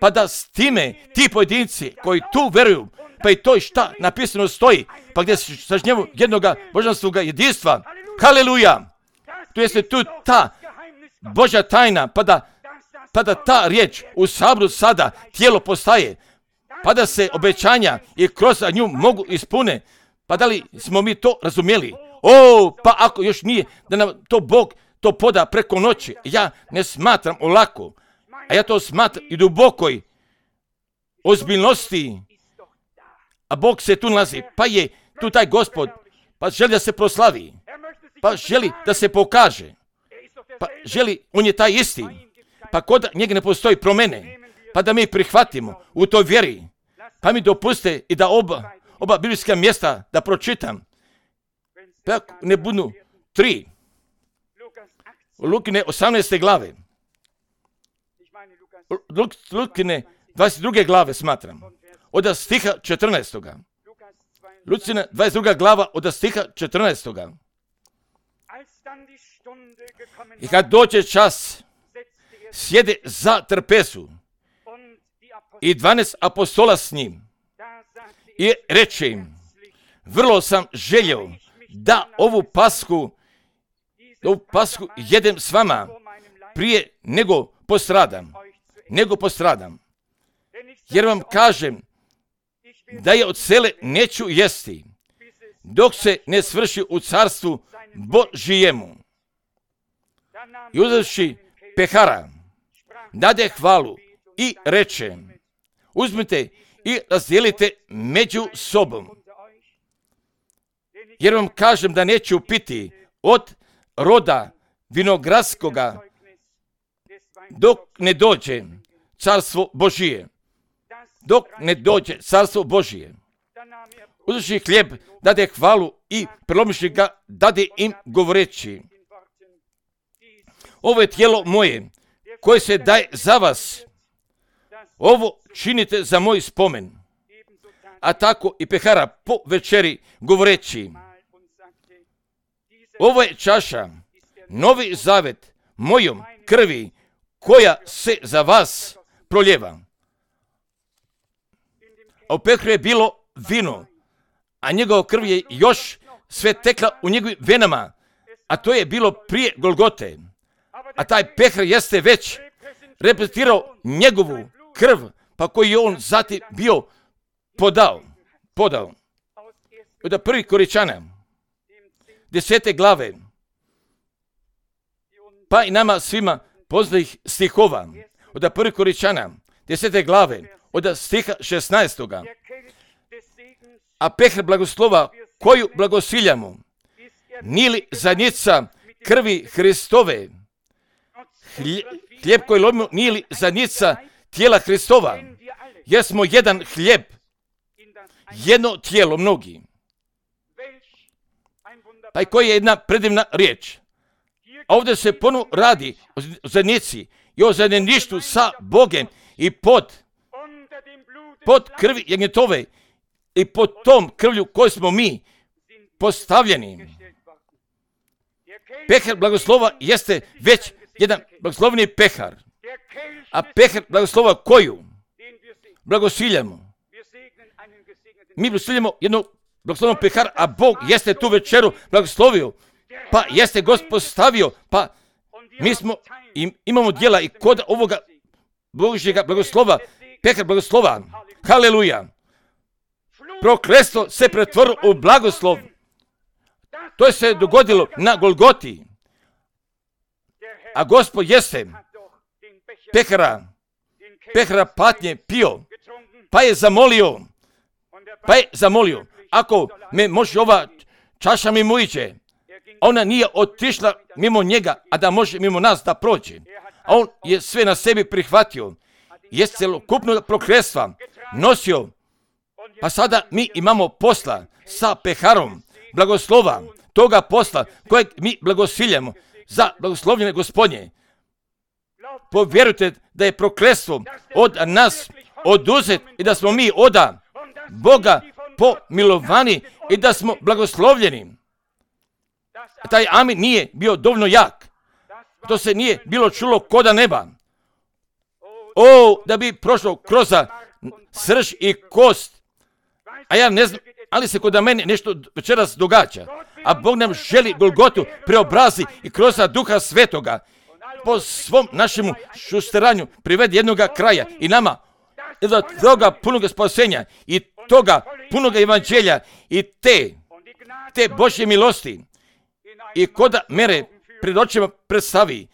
pa da s time ti pojedinci koji tu veruju, pa i to šta napisano stoji, pa gdje sažnjevu jednoga božanskoga jedinstva, haleluja, tu jeste tu ta Božja tajna, pa da, pa da ta riječ u saboru sada tijelo postaje, pa da se obećanja i kroz nju mogu ispune. Pa da li smo mi to razumjeli? O, pa ako još nije da nam to Bog to poda preko noći, ja ne smatram olako, a ja to smatram i dubokoj ozbiljnosti, a Bog se tu nalazi, pa je tu taj Gospod, pa želi da se proslavi, pa želi da se pokaže, pa želi, on je taj isti, pa kod njega ne postoji promjene, pa da mi prihvatimo u toj vjeri, pa mi dopuste i da oba, oba biblijska mjesta da pročitam, pa ne budu tri, u Lukine osamnaeste glave, Luk, Lukine dvadeset druge glave smatram, od stiha četrnaestoga. Lucina dvadeset druga glava od stiha četrnaestoga. I kad dođe čas, sjede za trpezu i dvanaest apostola s njim i reče im, vrlo sam željeo da ovu pasku, ovu pasku jedem s vama prije nego postradam, nego postradam. Jer vam kažem da je od sele neću jesti, dok se ne svrši u carstvu Božijemu. I uzevši pehara, dade hvalu i reče, uzmite i razdijelite među sobom. Jer vam kažem da neću piti od roda vinogradskoga dok ne dođe carstvo Božije. Dok ne dođe carstvo Božije. Uzevši hljeb, dade hvalu i prelomiši ga, dade im govoreći, ovo je tijelo moje, koje se daje za vas. Ovo činite za moj spomen. A tako i pehara po večeri govoreći, ovo je čaša, novi zavet mojom krvi, koja se za vas proljeva. A u pehru je bilo vino, a njegova krv je još sve tekla u njegovim venama, a to je bilo prije Golgote. A taj pehar jeste već reprezentirao njegovu krv, pa koji je on zatim bio podao. podao. Od prvi Koričana, desete glave, pa i nama svima poznatih stihova, od prvi Koričana, desete glave, od stiha šesnaestoga. A pehar blagoslova koju blagosiljamo, nili zadnjica krvi Hristove, hljeb koji lomimo nili zadnjica tijela Hristova, jer smo jedan hljeb, jedno tijelo mnogi. Pa i koja je jedna predivna riječ. A ovdje se ponovno radi o zadnjici i o zajedništvu sa Bogem i pod, pod krvi jagnjetove i pod tom krvlju koju smo mi postavljeni. Pehar blagoslova jeste već jedan blagoslovni pehar. A pehar blagoslova koju blagosiljamo. Mi blagosiljamo jednu blagoslovnu pehar, a Bog jeste tu večeru blagoslovio, pa jeste Gospod stavio, pa mi smo, imamo djela i kod ovoga Božjega blagoslova, pehar blagoslova, haleluja. Prokletstvo se pretvorilo u blagoslov. To je se dogodilo na Golgoti. A Gospod jeste pehara, pehara patnje pio, pa je zamolio, pa je zamolio, ako me može ova čaša mimo iđe, ona nije otišla mimo njega, a da može mimo nas da prođe. A on je sve na sebi prihvatio, je celokupno prokletstva nosio, pa sada mi imamo posla sa peharom blagoslova, toga posla kojeg mi blagosiljamo za blagoslovljene Gospodnje. Povjerujte da je prokletstvo od nas oduzet i da smo mi oda Boga pomilovani i da smo blagoslovljeni. Taj amin nije bio dovoljno jak. To se nije bilo čulo koda neba. O, da bi prošlo kroz srž i kost. A ja ne znam, ali se kod mene nešto večeras događa. A Bog nam želi Golgotu preobrazi i kroz Duha Svetoga po svom našemu šusteranju privedi jednoga kraja i nama do toga punoga spasenja i toga punoga evanđelja i te, te Božje milosti i koda mere pred očima predstavi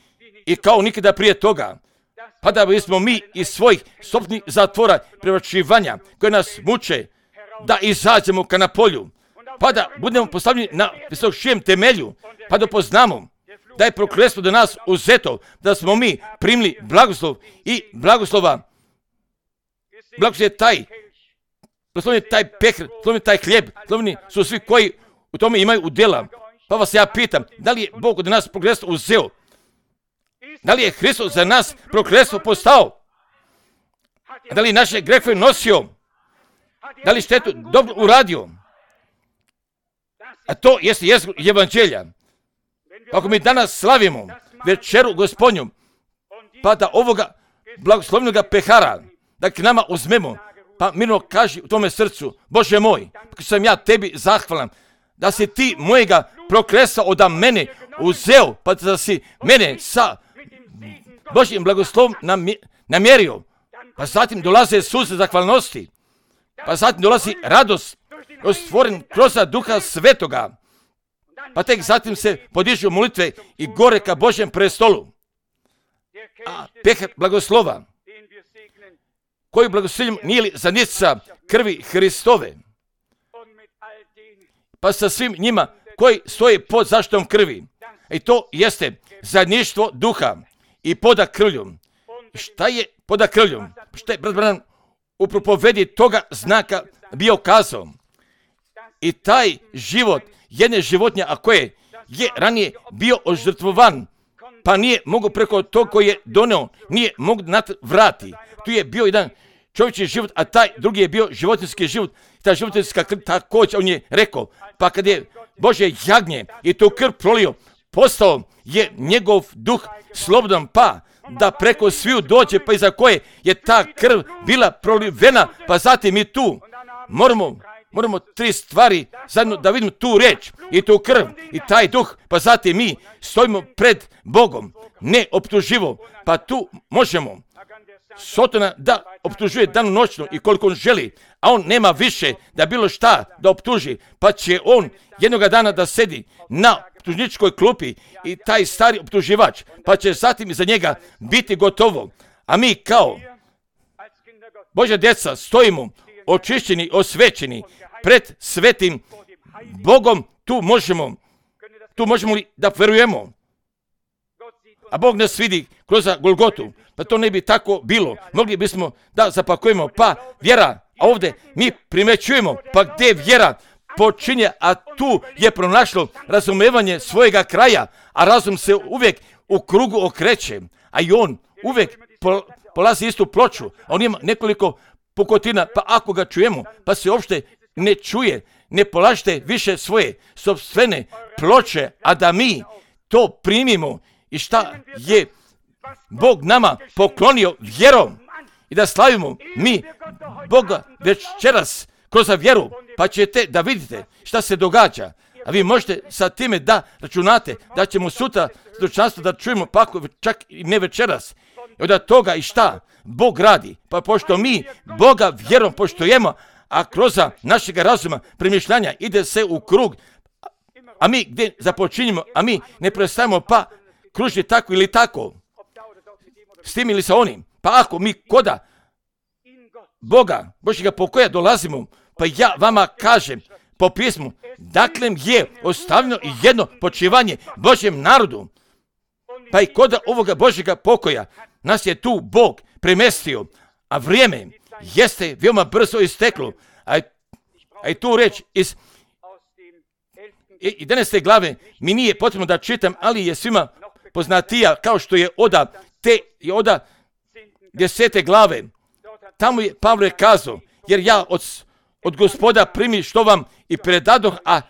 i kao nikada prije toga, pa da bismo mi iz svojih sopnih zatvora prevačivanja koje nas muče, da izađemo ka na polju, pa da budemo postavljeni na visočijem temelju, pa da poznamo da je prokletstvo do nas uzeto, da smo mi primili blagoslov i blagoslova. Blagoslov je taj, blagoslovljen je taj pekar, blagoslovljen je taj hljeb, blagoslovljeni su svi koji u tome imaju udjela. Pa vas ja pitam, da li je Bog od nas prokletstvo uzeo? Da li je Hristos za nas prokletstvo postao? Da li je naše grehove nosio? Da li je štetu dobro uradio? A to jeste jezgro evanđelja. Ako mi danas slavimo večeru Gospodnju, pa da ovoga blagoslovnog pehara, da k nama uzmemo, pa mirno kaži u tome srcu, Bože moj, pa sam ja tebi zahvalan, da si ti mojega prokletstva od mene uzeo, pa da si mene sa Božjim blagoslovom namjerio. Pa zatim dolaze suze zahvalnosti, pa zatim dolazi radost, stvoren kroz Duha Svetoga, pa tek zatim se podižu molitve i gore ka Božjem prestolu. A pehar blagoslova, koju blagoslovljamo, nije li zanica krvi Hristove? Pa sa svim njima koji stoje pod zaštitom krvi. I to jeste zajedništvo duha i poda krvlju. Šta je poda krvlju? Šta je brat Branham u propovedi toga znaka bio kazao? I taj život jedne životinje, a koje je ranije bio ožrtvovan, pa nije mogo preko tog koji je doneo, nije mogo vrati. Tu je bio jedan čovječji život, a taj drugi je bio životinjski život. Ta životinjska krv također, on je rekao, pa kad je Bože jagnje i tu krv prolio, postao je njegov duh slobodan, pa da preko sviju dođe, pa iza koje je ta krv bila prolivena, pa zatim i tu moramo, moramo tri stvari zajedno da vidimo tu reč i tu krv i taj duh, pa zatim mi stojimo pred Bogom, ne optuživo, pa tu možemo Sotona da optužuje danu noćno i koliko on želi, a on nema više da bilo šta da optuži, pa će on jednoga dana da sedi na optužničkoj klupi i taj stari optuživač, pa će zatim iza njega biti gotovo. A mi kao Božja djeca stojimo očišćeni, osvećeni pred svetim Bogom, tu možemo, tu možemo li da verujemo? A Bog nas vidi kroz Golgotu, pa to ne bi tako bilo. Mogli bismo da zapakujemo, pa vjera, a ovdje mi primećujemo, pa gdje vjera počinje, a tu je pronašlo razumevanje svojega kraja, a razum se uvijek u krugu okreće, a i on uvijek polazi istu ploču, a on ima nekoliko pukotina, pa ako ga čujemo, pa se uopšte ne čuje, ne polažite više svoje sopstvene ploče, a da mi to primimo i šta je Bog nama poklonio vjerom i da slavimo mi Boga večeras kroz vjeru, pa ćete da vidite šta se događa. A vi možete sa time da računate da ćemo sutra stručanstvo da čujemo, pa ako čak i ne večeras. I od toga i šta Bog radi, pa pošto mi Boga vjerom poštujemo, a kroz našeg razuma premišljanja ide se u krug, a mi gdje započinjemo, a mi ne prestavimo pa kruži tako ili tako, s tim ili sa onim. Pa ako mi koda Boga, Božjega pokoja dolazimo, pa ja vama kažem po pismu, dakle je ostavljeno i jedno počivanje Božjem narodu, pa i koda ovoga Božjega pokoja nas je tu Bog premestio, a vrijeme jeste veoma brzo isteklo, a, a i tu reč iz jedanaeste glave mi nije potrebno da čitam, ali je svima poznatija kao što je oda te i oda desete glave. Tamo je Pavle kazao, jer ja od, od Gospoda primi što vam i predadoh, a,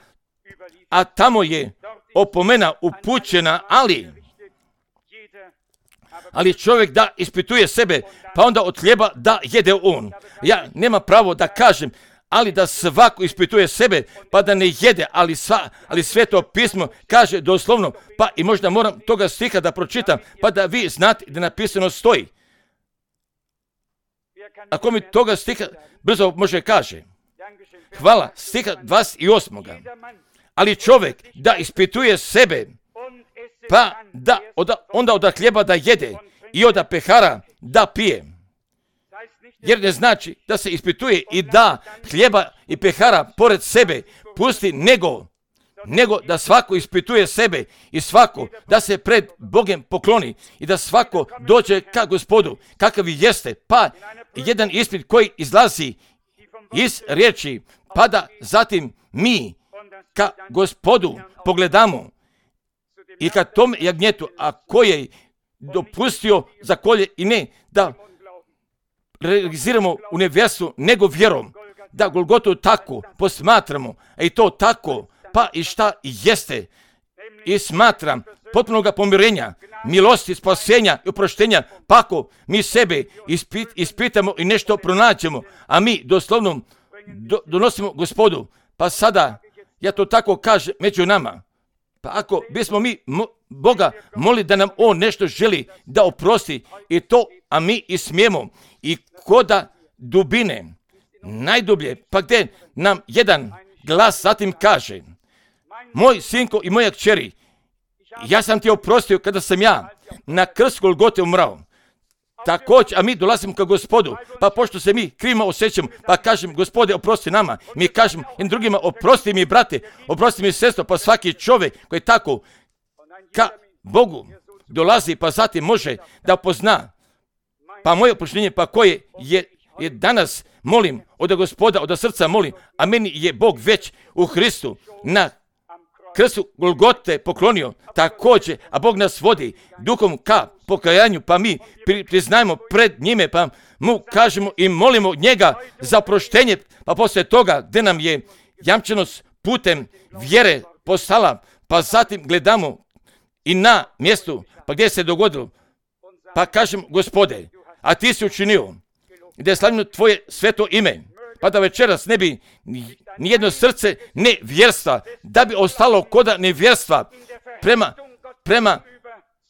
a tamo je opomena upućena, ali ali čovjek da ispituje sebe, pa onda od hljeba da jede on. Ja nema pravo da kažem, ali da svako ispituje sebe, pa da ne jede, ali, sva, ali Sveto pismo kaže doslovno, pa i možda moram toga stiha da pročitam, pa da vi znate da napisano stoji. Ako mi toga stiha brzo može kaže, hvala, stiha dvadeset osam. Ali čovjek da ispituje sebe, pa da od, onda od hljeba da jede i od pehara da pije. Jer ne znači da se ispituje i da hljeba i pehara pored sebe pusti, nego nego da svako ispituje sebe i svako da se pred Bogom pokloni i da svako dođe ka Gospodu, kakav jeste, pa jedan ispit koji izlazi iz riječi, pa da zatim mi ka Gospodu pogledamo i ka tom jagnjetu, a koji je dopustio za kolje i ne da realiziramo u nevjerstvu, nego vjerom, da Golgotu tako posmatramo, a i to tako, pa i šta jeste, i smatram potpunog pomirenja, milosti, spasenja i oproštenja, pa ako mi sebe ispit, ispitamo i nešto pronađemo, a mi doslovno do, donosimo Gospodu, pa sada, ja to tako kažem među nama, pa ako bismo mi mo, Boga molili da nam On nešto želi da oprosti i to, a mi i smijemo, i koda dubine, najdublje, pa gdje nam jedan glas zatim kaže, moj sinko i moja kćeri, ja sam ti oprostio kada sam ja na krstu Golgote umrao. Također, a mi dolazimo ka Gospodu, pa pošto se mi krivima osjećamo, pa kažem, Gospode, oprosti nama. Mi kažemo i drugima, oprosti mi, brate, oprosti mi, sestro, pa svaki čovjek koji tako ka Bogu dolazi, pa zatim može da pozna, pa moje oproštenje, pa koje je, je danas molim od Gospoda, od srca molim, a meni je Bog već u Hristu na krstu Golgote poklonio također, a Bog nas vodi duhom ka pokajanju, pa mi priznajemo pred njime, pa mu kažemo i molimo njega za proštenje, pa poslije toga gdje nam je jamčenost putem vjere postala, pa zatim gledamo i na mjestu, pa gdje se dogodilo, pa kažem, Gospode, a ti si učinio da je slavljeno tvoje sveto ime, pa da večeras ne bi nijedno srce nevjerstva, da bi ostalo koda nevjerstva prema, prema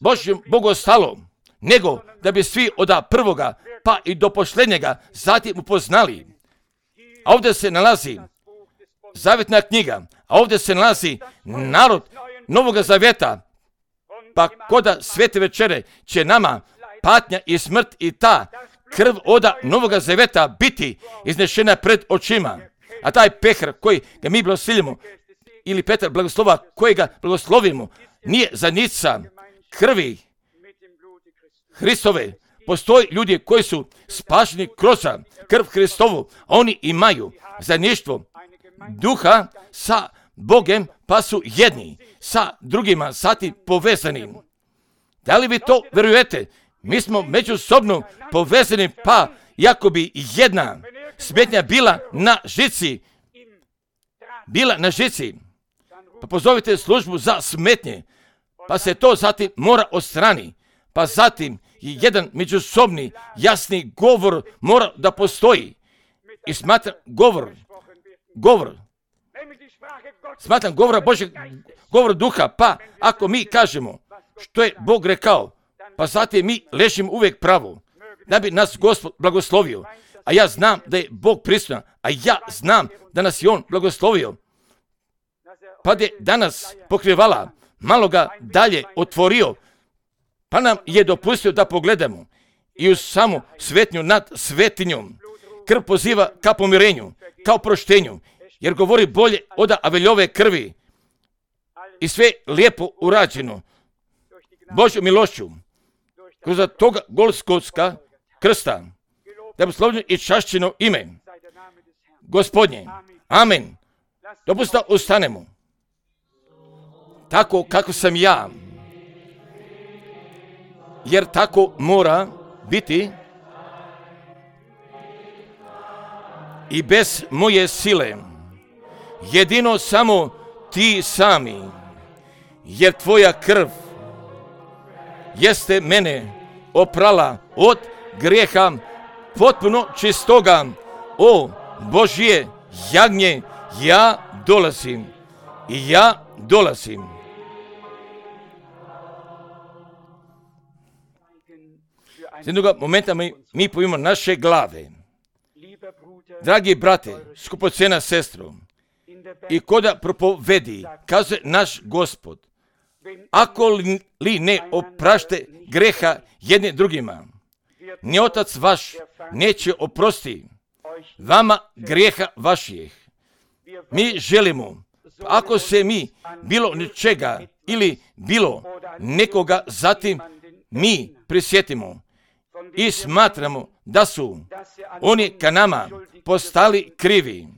Božjem Bogu ostalo, nego da bi svi od prvoga pa i do posljednjega zatim upoznali. A ovdje se nalazi zavjetna knjiga, a ovdje se nalazi narod Novoga Zavjeta, pa koda svete večere će nama patnja i smrt i ta krv oda Novoga Zavjeta biti iznešena pred očima. A taj pehar koji ga mi blagoslovimo, ili Petar blagoslova koji ga blagoslovimo, nije zanica krvi Hristove. Postoji ljudi koji su spašeni kroz krv Hristovu, a oni imaju zajedništvo duha sa Bogom, pa su jedni sa drugima sati povezani. Da li vi to vjerujete? Mi smo međusobno povezani, pa jako bi jedna smetnja bila na žici, bila na žici, pa pozovite službu za smetnje, pa se to zatim mora odstrani, pa zatim i jedan međusobni jasni govor mora da postoji. I smatram govor, govor, smatram govora Božeg, govor duha, pa ako mi kažemo što je Bog rekao, pa zatim mi ležimo uvijek pravo, da bi nas Gospod blagoslovio. A ja znam da je Bog prisutan, a ja znam da nas je On blagoslovio. Pa je danas pokrivala, malo ga dalje otvorio, pa nam je dopustio da pogledamo i u samu svetnju nad svetinjom. Krv poziva ka pomirenju, ka oproštenju, jer govori bolje od Aveljove krvi i sve lijepo urađeno Božjom milošću kroz toga Golgotska krsta, da bi slavljeno i čašćeno ime Gospodnje. Amen. Dopustite da ustanemo. Tako kako sam ja, jer tako mora biti i bez moje sile, jedino samo ti sami, jer tvoja krv jeste mene oprala od grijeha potpuno čistoga. O Božje jagnje, ja dolazim i ja dolazim. Z jednoga momenta mi, mi pojimo naše glave. Dragi brate, skupocena sestro, i koda propovedi, kazuje naš Gospod, ako li ne oprašte greha jedne drugima, ni Otac vaš neće oprosti vama grijeha vaših. Mi želimo Ako se mi bilo nečega ili bilo nekoga zatim mi prisjetimo i smatramo da su oni ka nama postali krivi,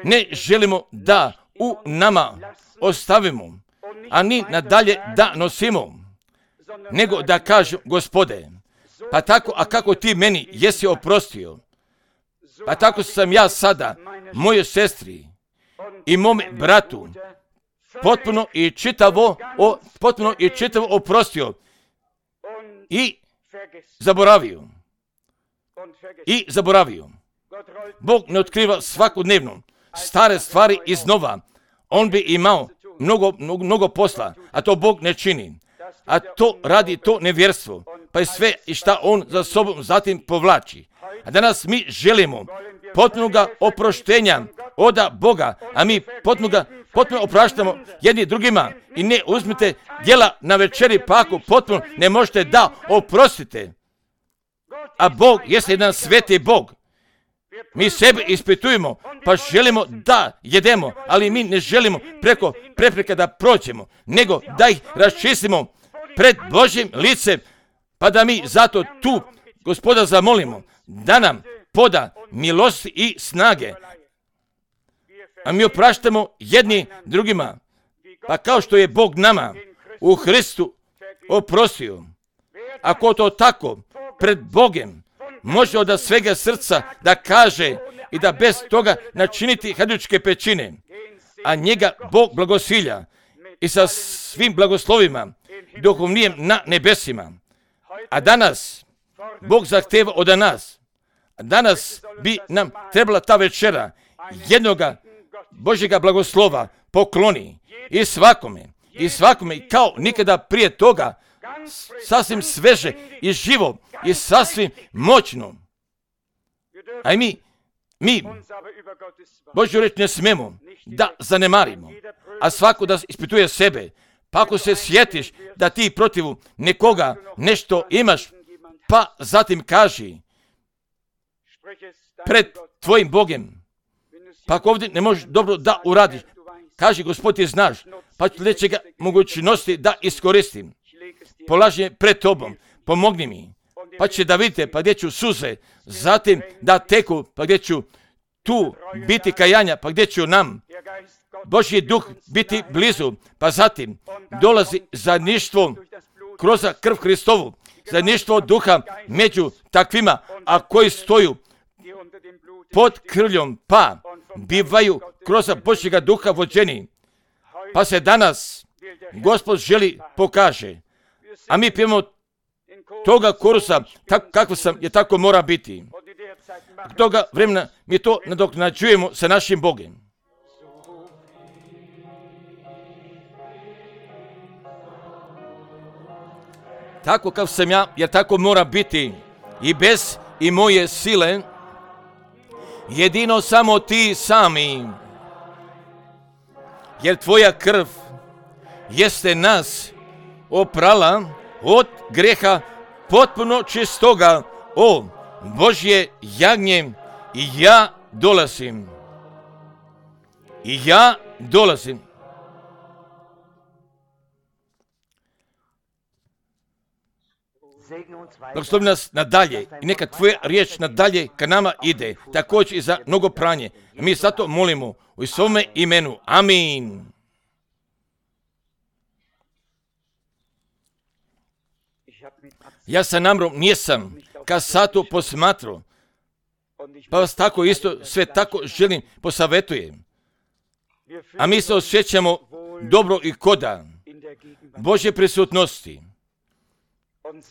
ne želimo da u nama ostavimo, a ni nadalje da nosimo, nego da kažem, Gospode, pa tako, a kako ti meni jesi oprostio, pa tako sam ja sada mojoj sestri i mome bratu potpuno i čitavo, o, potpuno i čitavo oprostio i zaboravio. I zaboravio. Bog ne otkriva svakodnevno stare stvari iznova. On bi imao mnogo, mnogo, mnogo posla, a to Bog ne čini. A to radi to nevjerstvo, pa je sve i šta on za sobom zatim povlači. A danas mi želimo potpunoga oproštenja oda Boga, a mi potpunoga, potpuno opraštamo jedni drugima i ne uzmite djela na večeri, pa ako potpuno ne možete da oprostite. A Bog jeste jedan sveti Bog. Mi sebe ispitujemo, pa želimo da jedemo, ali mi ne želimo preko prepreka da prođemo, nego da ih raščistimo pred Božjim licem, pa da mi zato tu Gospoda zamolimo da nam poda milosti i snage. A mi opraštamo jedni drugima, pa kao što je Bog nama u Hristu oprostio. Ako to tako pred Bogem može od svega srca da kaže i da bez toga načiniti hajdučke pećine, a njega Bog blagosilja i sa svim blagoslovima duhovnijem na nebesima. A danas Bog zahteva od nas, a danas bi nam trebala ta večera jednoga Božjega blagoslova pokloni i svakome, i svakome kao nikada prije toga, sasvim sveže i živo i sasvim moćno. A i mi, mi Božju reč ne smemo da zanemarimo, a svako da ispituje sebe. Pa ako se sjetiš da ti protiv nekoga nešto imaš, pa zatim kaži pred tvojim Bogem. Pa ako ovdje ne možeš dobro da uradiš, kaži, Gospod ti znaš, pa ću nečega mogućnosti da iskoristim. Polaži je pred tobom, pomogni mi, pa će da vidite, pa gdje ću suze, zatim da teku, pa gdje ću tu biti kajanja, pa gdje ću nam Božji duh biti blizu, pa zatim dolazi zajedništvo kroz krv Hristovu, zajedništvo duha među takvima, a koji stoju pod krvljom, pa bivaju kroz Božjega duha vođeni. Pa se danas Gospod želi pokaže, a mi pijemo toga korusa, tak, kako sam, je tako mora biti. Toga vremena mi to nadoknađujemo sa našim Bogom. Tako kao sam ja, jer tako mora biti i bez i moje sile, jedino samo ti sami, jer tvoja krv jeste nas oprala od greha potpuno čistoga, o Božje jagnje, i ja dolazim. I ja dolazim. Blagoslovi nas nadalje i neka tvoja riječ nadalje ka nama ide, također i za mnogo pranje. Mi zato molimo u svome imenu. Amin. Ja sa namrom nisam ka satu posmatrao, pa vas tako isto sve tako želim posavetujem. A mi se osjećamo dobro i koda Božje prisutnosti.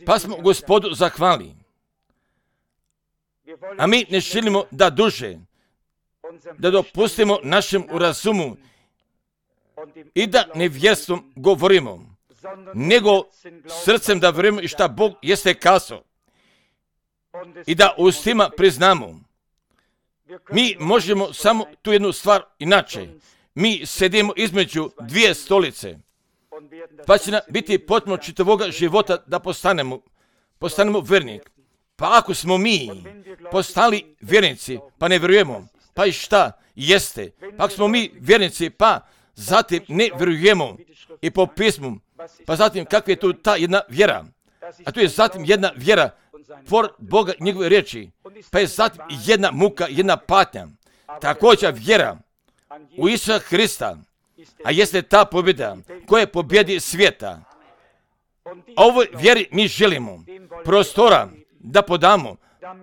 Pa smo Gospodu zahvali. A mi ne želimo da duže, da dopustimo našem razumu i da nevjerstvom govorimo, nego srcem da vjerujemo i šta Bog jeste kazao. I da ustima priznamo. Mi možemo samo tu jednu stvar inače. Mi sedimo između dvije stolice. Pa će nam biti potpuno čitavoga života da postanemo, postanemo vjernik. Pa ako smo mi postali vjernici, pa ne vjerujemo, Pa i šta jeste? Pa smo mi vjernici, pa zatim ne vjerujemo i po pismu. Pa zatim kakva je tu ta jedna vjera? A tu je zatim jedna vjera por Boga i njegove riječi. Pa je zatim jedna muka, jedna patnja. Također vjera u Isusa Hrista, a jeste ta pobjeda koja pobjedi svijeta. A ovoj vjeri mi želimo prostora da podamo,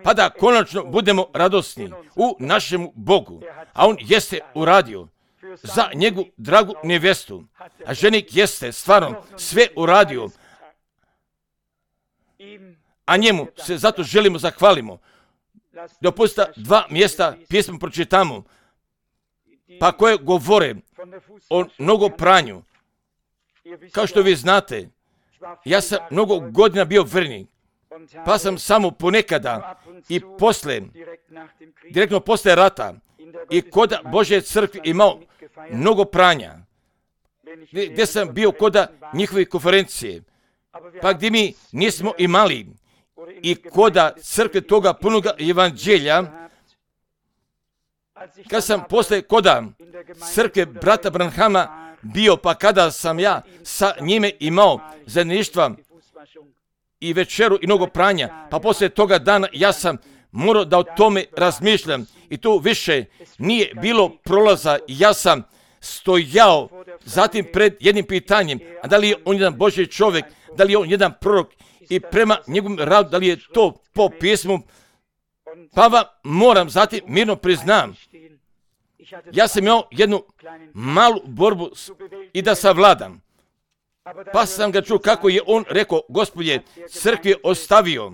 pa da konačno budemo radosni u našemu Bogu. A on jeste uradio za njegu dragu nevjestu. A ženik jeste stvarno sve uradio. A njemu se zato želimo zahvalimo. Dopustite dva mjesta pjesmu pročitamo, pa koje govore o nogopranju. Kao što vi znate, ja sam mnogo godina bio vjernik, pa sam samo ponekada i posle, direktno posle rata, i kod Božje crkve imao mnogo pranja, gdje sam bio kod njihove konferencije, pa gdje mi nismo imali i kod crkve toga punoga evanđelja. Kad sam posle kod crkve brata Branhama bio, pa kada sam ja sa njime imao zajedništva i večeru i mnogo pranja, pa poslije toga dana ja sam morao da o tome razmišljam i tu više nije bilo prolaza. Ja sam stojao zatim pred jednim pitanjem, a da li je on jedan Božji čovjek, da li je on jedan prorok i prema njegovom radu, da li je to po pismu. Pa vam moram zatim mirno priznam, ja sam imao jednu malu borbu i da savladam. Pa sam ga čuo kako je on rekao, Gospodje, crkvi ostavio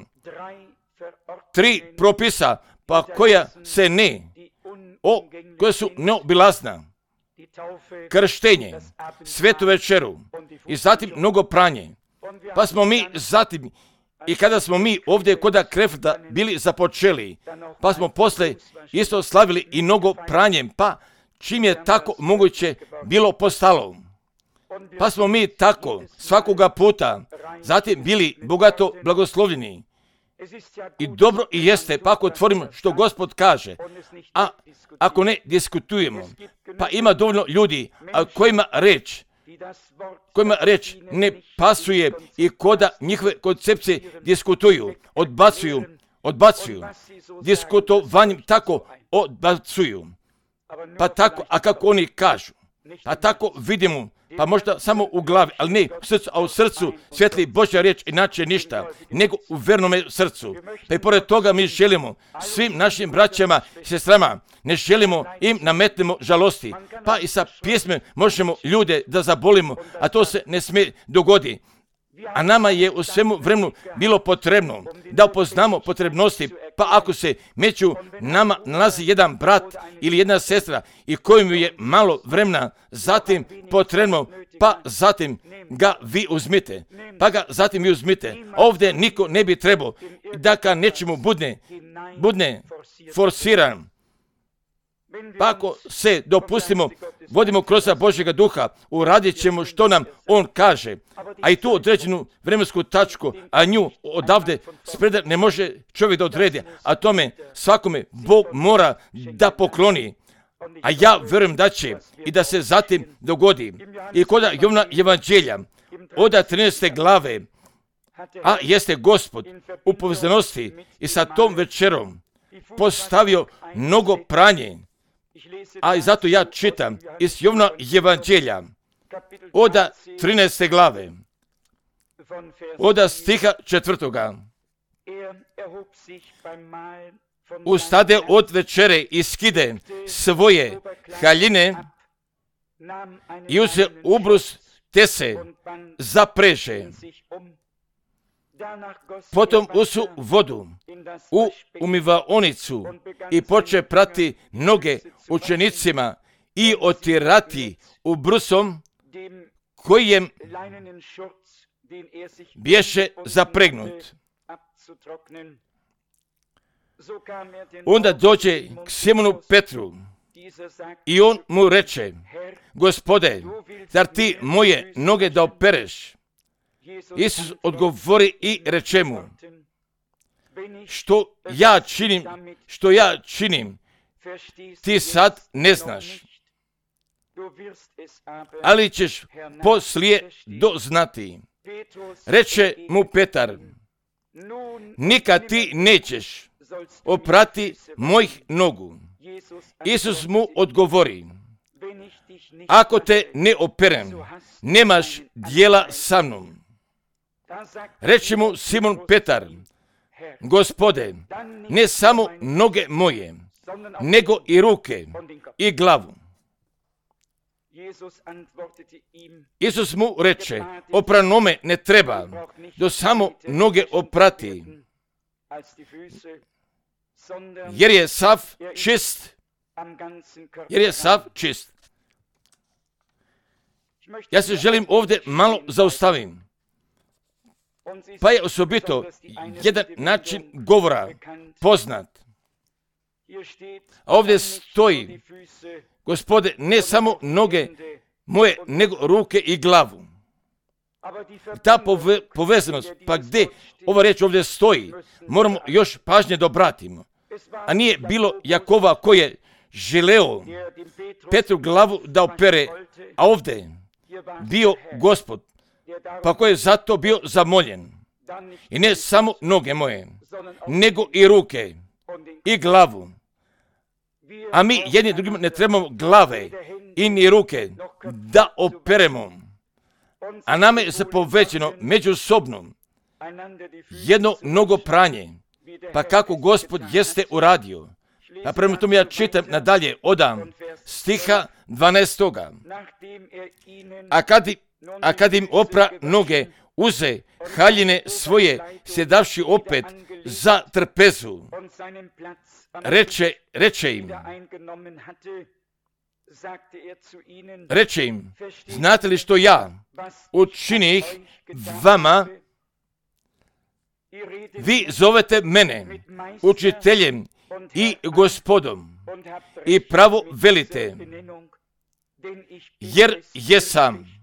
tri propisa, pa koja se ne, o, koja su neobilazna. Krštenje, svetu večeru i zatim mnogo pranje. Pa smo mi zatim, i kada smo mi ovdje kod Krefta bili započeli, pa smo posle isto slavili i mnogo pranjem, pa čim je tako moguće bilo postalo. Pa smo mi tako svakoga puta zatim bili bogato blagoslovljeni. I dobro i jeste, pa ako otvorimo što Gospod kaže, a ako ne diskutujemo, pa ima dovoljno ljudi a kojima reč, kojima reč ne pasuje i koda njihove koncepcije diskutuju, odbacuju, odbacuju, diskutovanjem tako odbacuju. Pa tako, a kako oni kažu, pa tako vidimo, pa možda samo u glavi, ali ne u srcu, a u srcu svijetli Božja riječ, inače ništa, nego u vernome srcu. Pa i pored toga mi želimo svim našim braćama i sestrama, ne želimo im nametnemo žalosti, pa i sa pjesme možemo ljude da zabolimo, a to se ne smije dogoditi. A nama je u svemu vremenu bilo potrebno da upoznamo potrebnosti, pa ako se među nama nalazi jedan brat ili jedna sestra i kojim je malo vremena zatim potrebno, pa zatim ga vi uzmite, pa ga zatim vi uzmite. Ovdje niko ne bi trebao da ka nečemu budne, budne forsiran. Pa ako se dopustimo, vodimo kroz Božjega duha, uradit ćemo što nam on kaže, a i tu određenu vremensku tačku, a nju odavde spreda ne može čovjek da odredi, a tome svakome Bog mora da pokloni. A ja vjerujem da će i da se zatim dogodi. I kod Jovana evanđelja, od trinaeste glave, a jeste Gospod u povezanosti i sa tom večerom postavio mnogo pranje. A i zato ja čitam iz Jovana evanđelja od trinaeste glave, od stiha četvrtoga. Ustade od večere i skide svoje haljine i uze ubrus te se zapreže. Potom usu vodu u umivaonicu i poče prati noge učenicima i otirati ubrusom kojem bješe zapregnut. Onda dođe k Simonu Petru i on mu reče, Gospode, zar ti moje noge da opereš? Isus odgovori i reče mu, što ja činim, što ja činim, ti sad ne znaš, ali ćeš poslije doznati. Reče mu Petar, nikad ti nećeš oprati mojih nogu. Isus mu odgovori, ako te ne operem, nemaš dijela sa mnom. Reče mu Simon Petar, Gospode, ne samo noge moje, nego i ruke i glavu. Isus mu reče, opranome ne treba, do samo noge oprati, jer je sav čist, jer je sav čist. Ja se želim ovdje malo zaustavim. Pa je osobito jedan način govora poznat. A ovdje stoji, Gospode, ne samo noge moje, nego ruke i glavu. Ta pove, povezanost, pa gdje ova riječ ovdje stoji, moramo još pažnje da obratimo. A nije bilo Jakova koji je želeo Petru glavu da opere, a ovdje bio Gospod, pa koji je zato bio zamoljen. I ne samo noge moje, nego i ruke i glavu. A mi jedni drugim ne trebamo glave i ni ruke da operemo. A nama je zapovećeno međusobno jedno mnogo pranje. Pa kako Gospod jeste uradio. Pa prema tome ja čitam nadalje odam stiha dvanaestoga. A kad, a kad im opra noge, uze haljine svoje, sjedavši opet za trpezu. Reče, reče im, reče im, znate li što ja učinih vama? Vi zovete mene učiteljem i gospodom i pravo velite, jer jesam.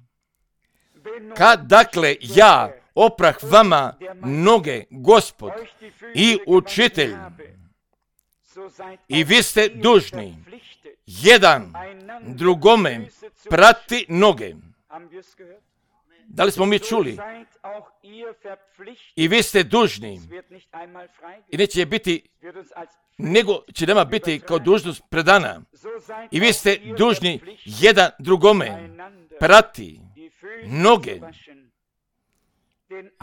Kad dakle ja oprah vama noge, Gospod i učitelj, i vi ste dužni jedan drugome prati noge. Da li smo mi čuli? I vi ste dužni. I neće biti, nego će nama biti kao dužnost predana. I vi ste dužni jedan drugome prati noge.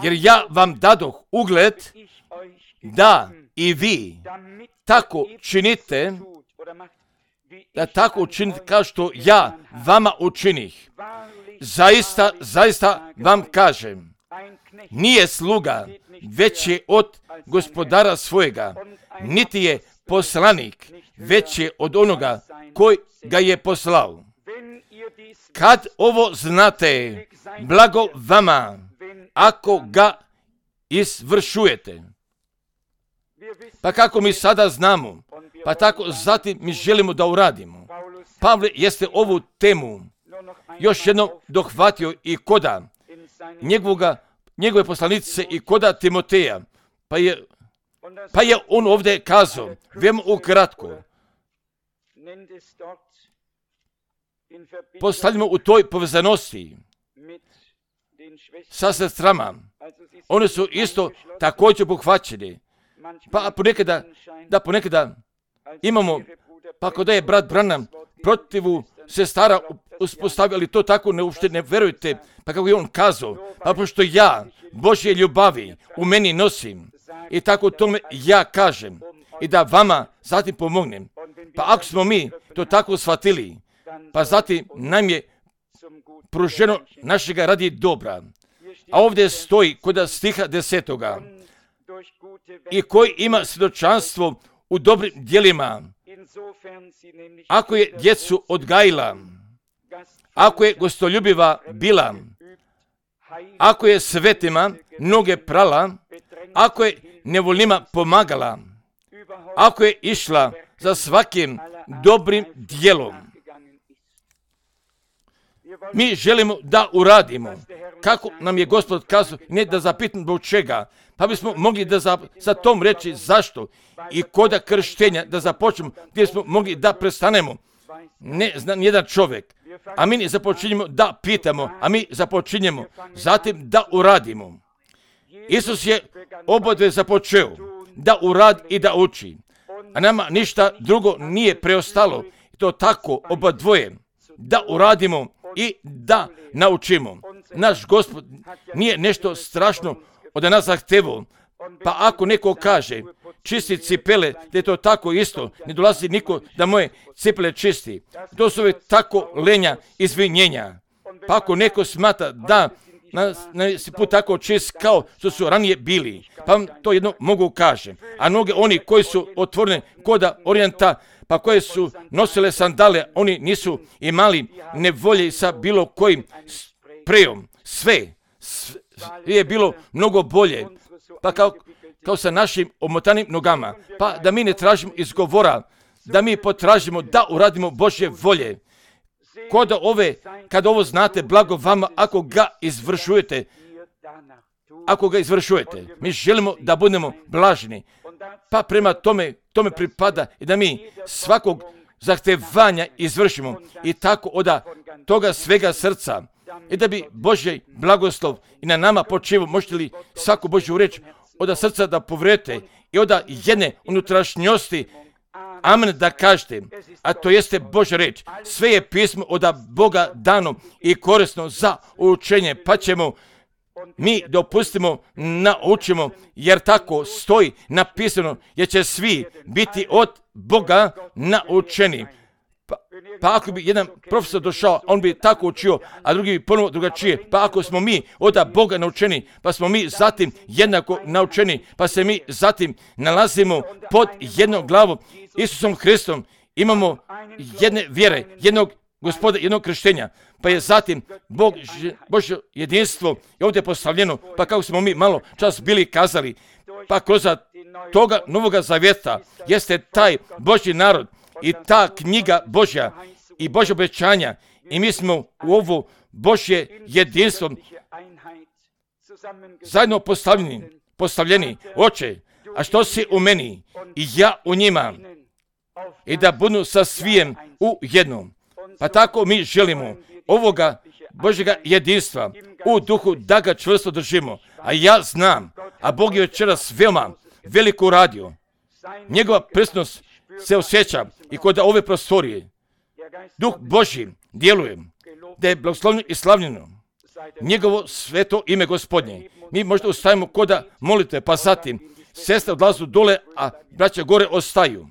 Jer ja vam dadoh ugled da i vi tako činite, da tako učinite kao što ja vama učinih. Zaista, zaista vam kažem, nije sluga veći od gospodara svojega, niti je poslanik veći od onoga koji ga je poslao. Kad ovo znate, blago vama, ako ga izvršujete. Pa kako mi sada znamo, pa tako zatim mi želimo da uradimo. Pavle jeste ovu temu još jednom dohvatio i koda njegovoga, njegove poslanice i koda Timoteja. Pa je, pa je on ovdje kazao, veoma ukratko, postavljamo u toj povezanosti sa sestrama. One su isto također obuhvaćene. Pa ponekada, da ponekada imamo, pa ako da je brat Branham protivu sestara uspostavio, ali to tako ne uopšte ne verujte, pa kako je on kazao, pa pošto ja Božje ljubavi u meni nosim i tako tome ja kažem i da vama zatim pomognem. Pa ako smo mi to tako shvatili, pa zatim nam je pruženo našega radi dobra. A ovdje stoji kod stiha desetoga i koji ima svjedočanstvo u dobrim djelima. Ako je djecu odgajila, ako je gostoljubiva bila, ako je svetima noge prala, ako je nevoljnima pomagala, ako je išla za svakim dobrim djelom. Mi želimo da uradimo kako nam je Gospod kazao, ne da zapitamo zbog čega, pa bismo mogli da za, za tom reći zašto i koda krštenja da započnemo, gdje smo mogli da prestanemo. Ne zna nijedan čovjek, a mi ne započinjemo da pitamo, a mi započinjemo zatim da uradimo. Isus je obodve započeo da uradi i da uči, a nama ništa drugo nije preostalo. To tako oba dvoje, da uradimo i da naučimo. Naš Gospod nije nešto strašno od nas zahtevao, pa ako neko kaže čisti cipele, da je to tako isto, ne dolazi niko da moje cipele čisti. To su uvijek tako lenja izvinjenja. Pa ako neko smatra da na, na put tako čist kao što su ranije bili, pa vam to jedno mogu kažem. A mnogi oni koji su otvoreni koda orijenta, pa koje su nosile sandale, oni nisu imali nevolje sa bilo kojim prejom. Sve, sve je bilo mnogo bolje, pa kao, kao sa našim omotanim nogama. Pa da mi ne tražimo izgovora, da mi potražimo da uradimo Božje volje. Kod ove, kad ovo znate, blago vama ako ga izvršujete, ako ga izvršujete. Mi želimo da budemo blažni, pa prema tome, tome pripada i da mi svakog zahtevanja izvršimo i tako od toga svega srca i da bi Božji blagoslov i na nama počivao. Možete li svaku Božju reč od srca da povredite i od jedne unutrašnjosti amen da kažete, a to jeste Božja reč. Sve je pismo od Boga dano i korisno za učenje, pa ćemo mi dopustimo, naučimo, jer tako stoji napisano, jer će svi biti od Boga naučeni. Pa, pa ako bi jedan profesor došao, on bi tako učio, a drugi bi ponovo drugačije. Pa ako smo mi od Boga naučeni, pa smo mi zatim jednako naučeni, pa se mi zatim nalazimo pod jednom glavom, Isusom Hristom, imamo jedne vjere, jednog Gospoda, jednog krštenja, pa je zatim Bog, Božje jedinstvo je ovdje postavljeno, pa kako smo mi malo čas bili kazali, pa kroz toga Novoga Zavjeta jeste taj Božji narod i ta knjiga Božja i Božje obećanja i mi smo u ovo Božje jedinstvo zajedno postavljeni, postavljeni. Oče, a što si u meni i ja u njima i da budu sa svijem u jednom. Pa tako mi želimo ovoga Božjega jedinstva u duhu da ga čvrsto držimo. A ja znam, a Bog je večeras veoma veliko radio. Njegova prisutnost se osjeća i kod ove prostorije. Duh Božji djeluje, da je blagoslovljeno i slavljeno njegovo sveto ime Gospodnje. Mi možda ustajemo koda molite, pa zatim sestre odlazu dole, a braća gore ostaju.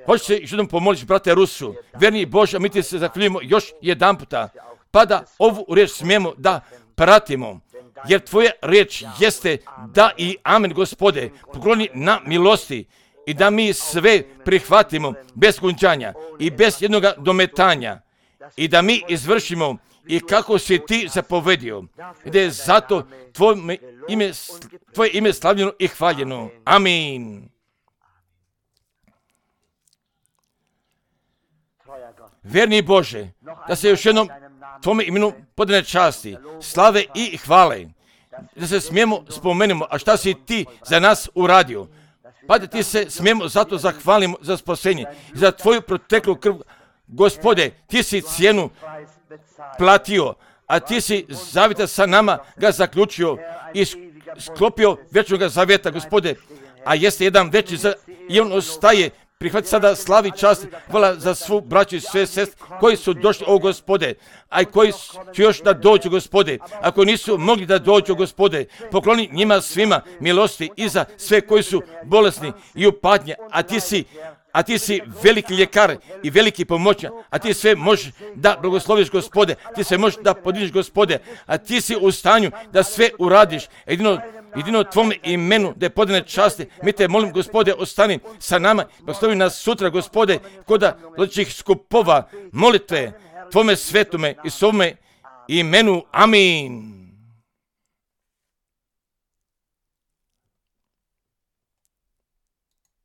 Hoće se još jednom pomolići, brate Rusu, verni Bože, a mi ti se zahvaljujemo još jedan puta, pa da ovu riječ smijemo da pratimo, jer tvoja riječ jeste da i amen, Gospode, pokloni na milosti i da mi sve prihvatimo bez gunđanja i bez jednog dometanja i da mi izvršimo i kako si ti zapovedio, i da je zato tvoje ime, tvoje ime slavljeno i hvaljeno. Amin. Verni Bože, da se još jednom tvome imenu podane časti, slave i hvale, da se smijemo spomenemo, a šta si ti za nas uradio, pa da ti se smijemo zato zahvalimo za spasenje, za tvoju proteklu krv. Gospode, ti si cijenu platio, a ti si zavjeta sa nama ga zaključio i sklopio vječnog zavjeta, Gospode, a jeste jedan veći za, i on ostaje. Prihvati sada slavi čast, hvala za svu braću i sve sestre koji su došli, o Gospode, a i koji će još da dođu, Gospode. Ako nisu mogli da dođu, Gospode, pokloni njima svima milosti i za sve koji su bolesni i u patnji, a ti si a ti si veliki ljekar i veliki pomoćnik, a ti sve možeš da blagosloviš, Gospode, ti sve možeš da podižeš, Gospode, a ti si u stanju da sve uradiš, jedino jedino tvome imenu da je podane časti. Mi te molim, Gospode, ostani sa nama, blagoslovi nas sutra, Gospode, koda veličih skupova molitve tvome svetome i svome imenu. Amin.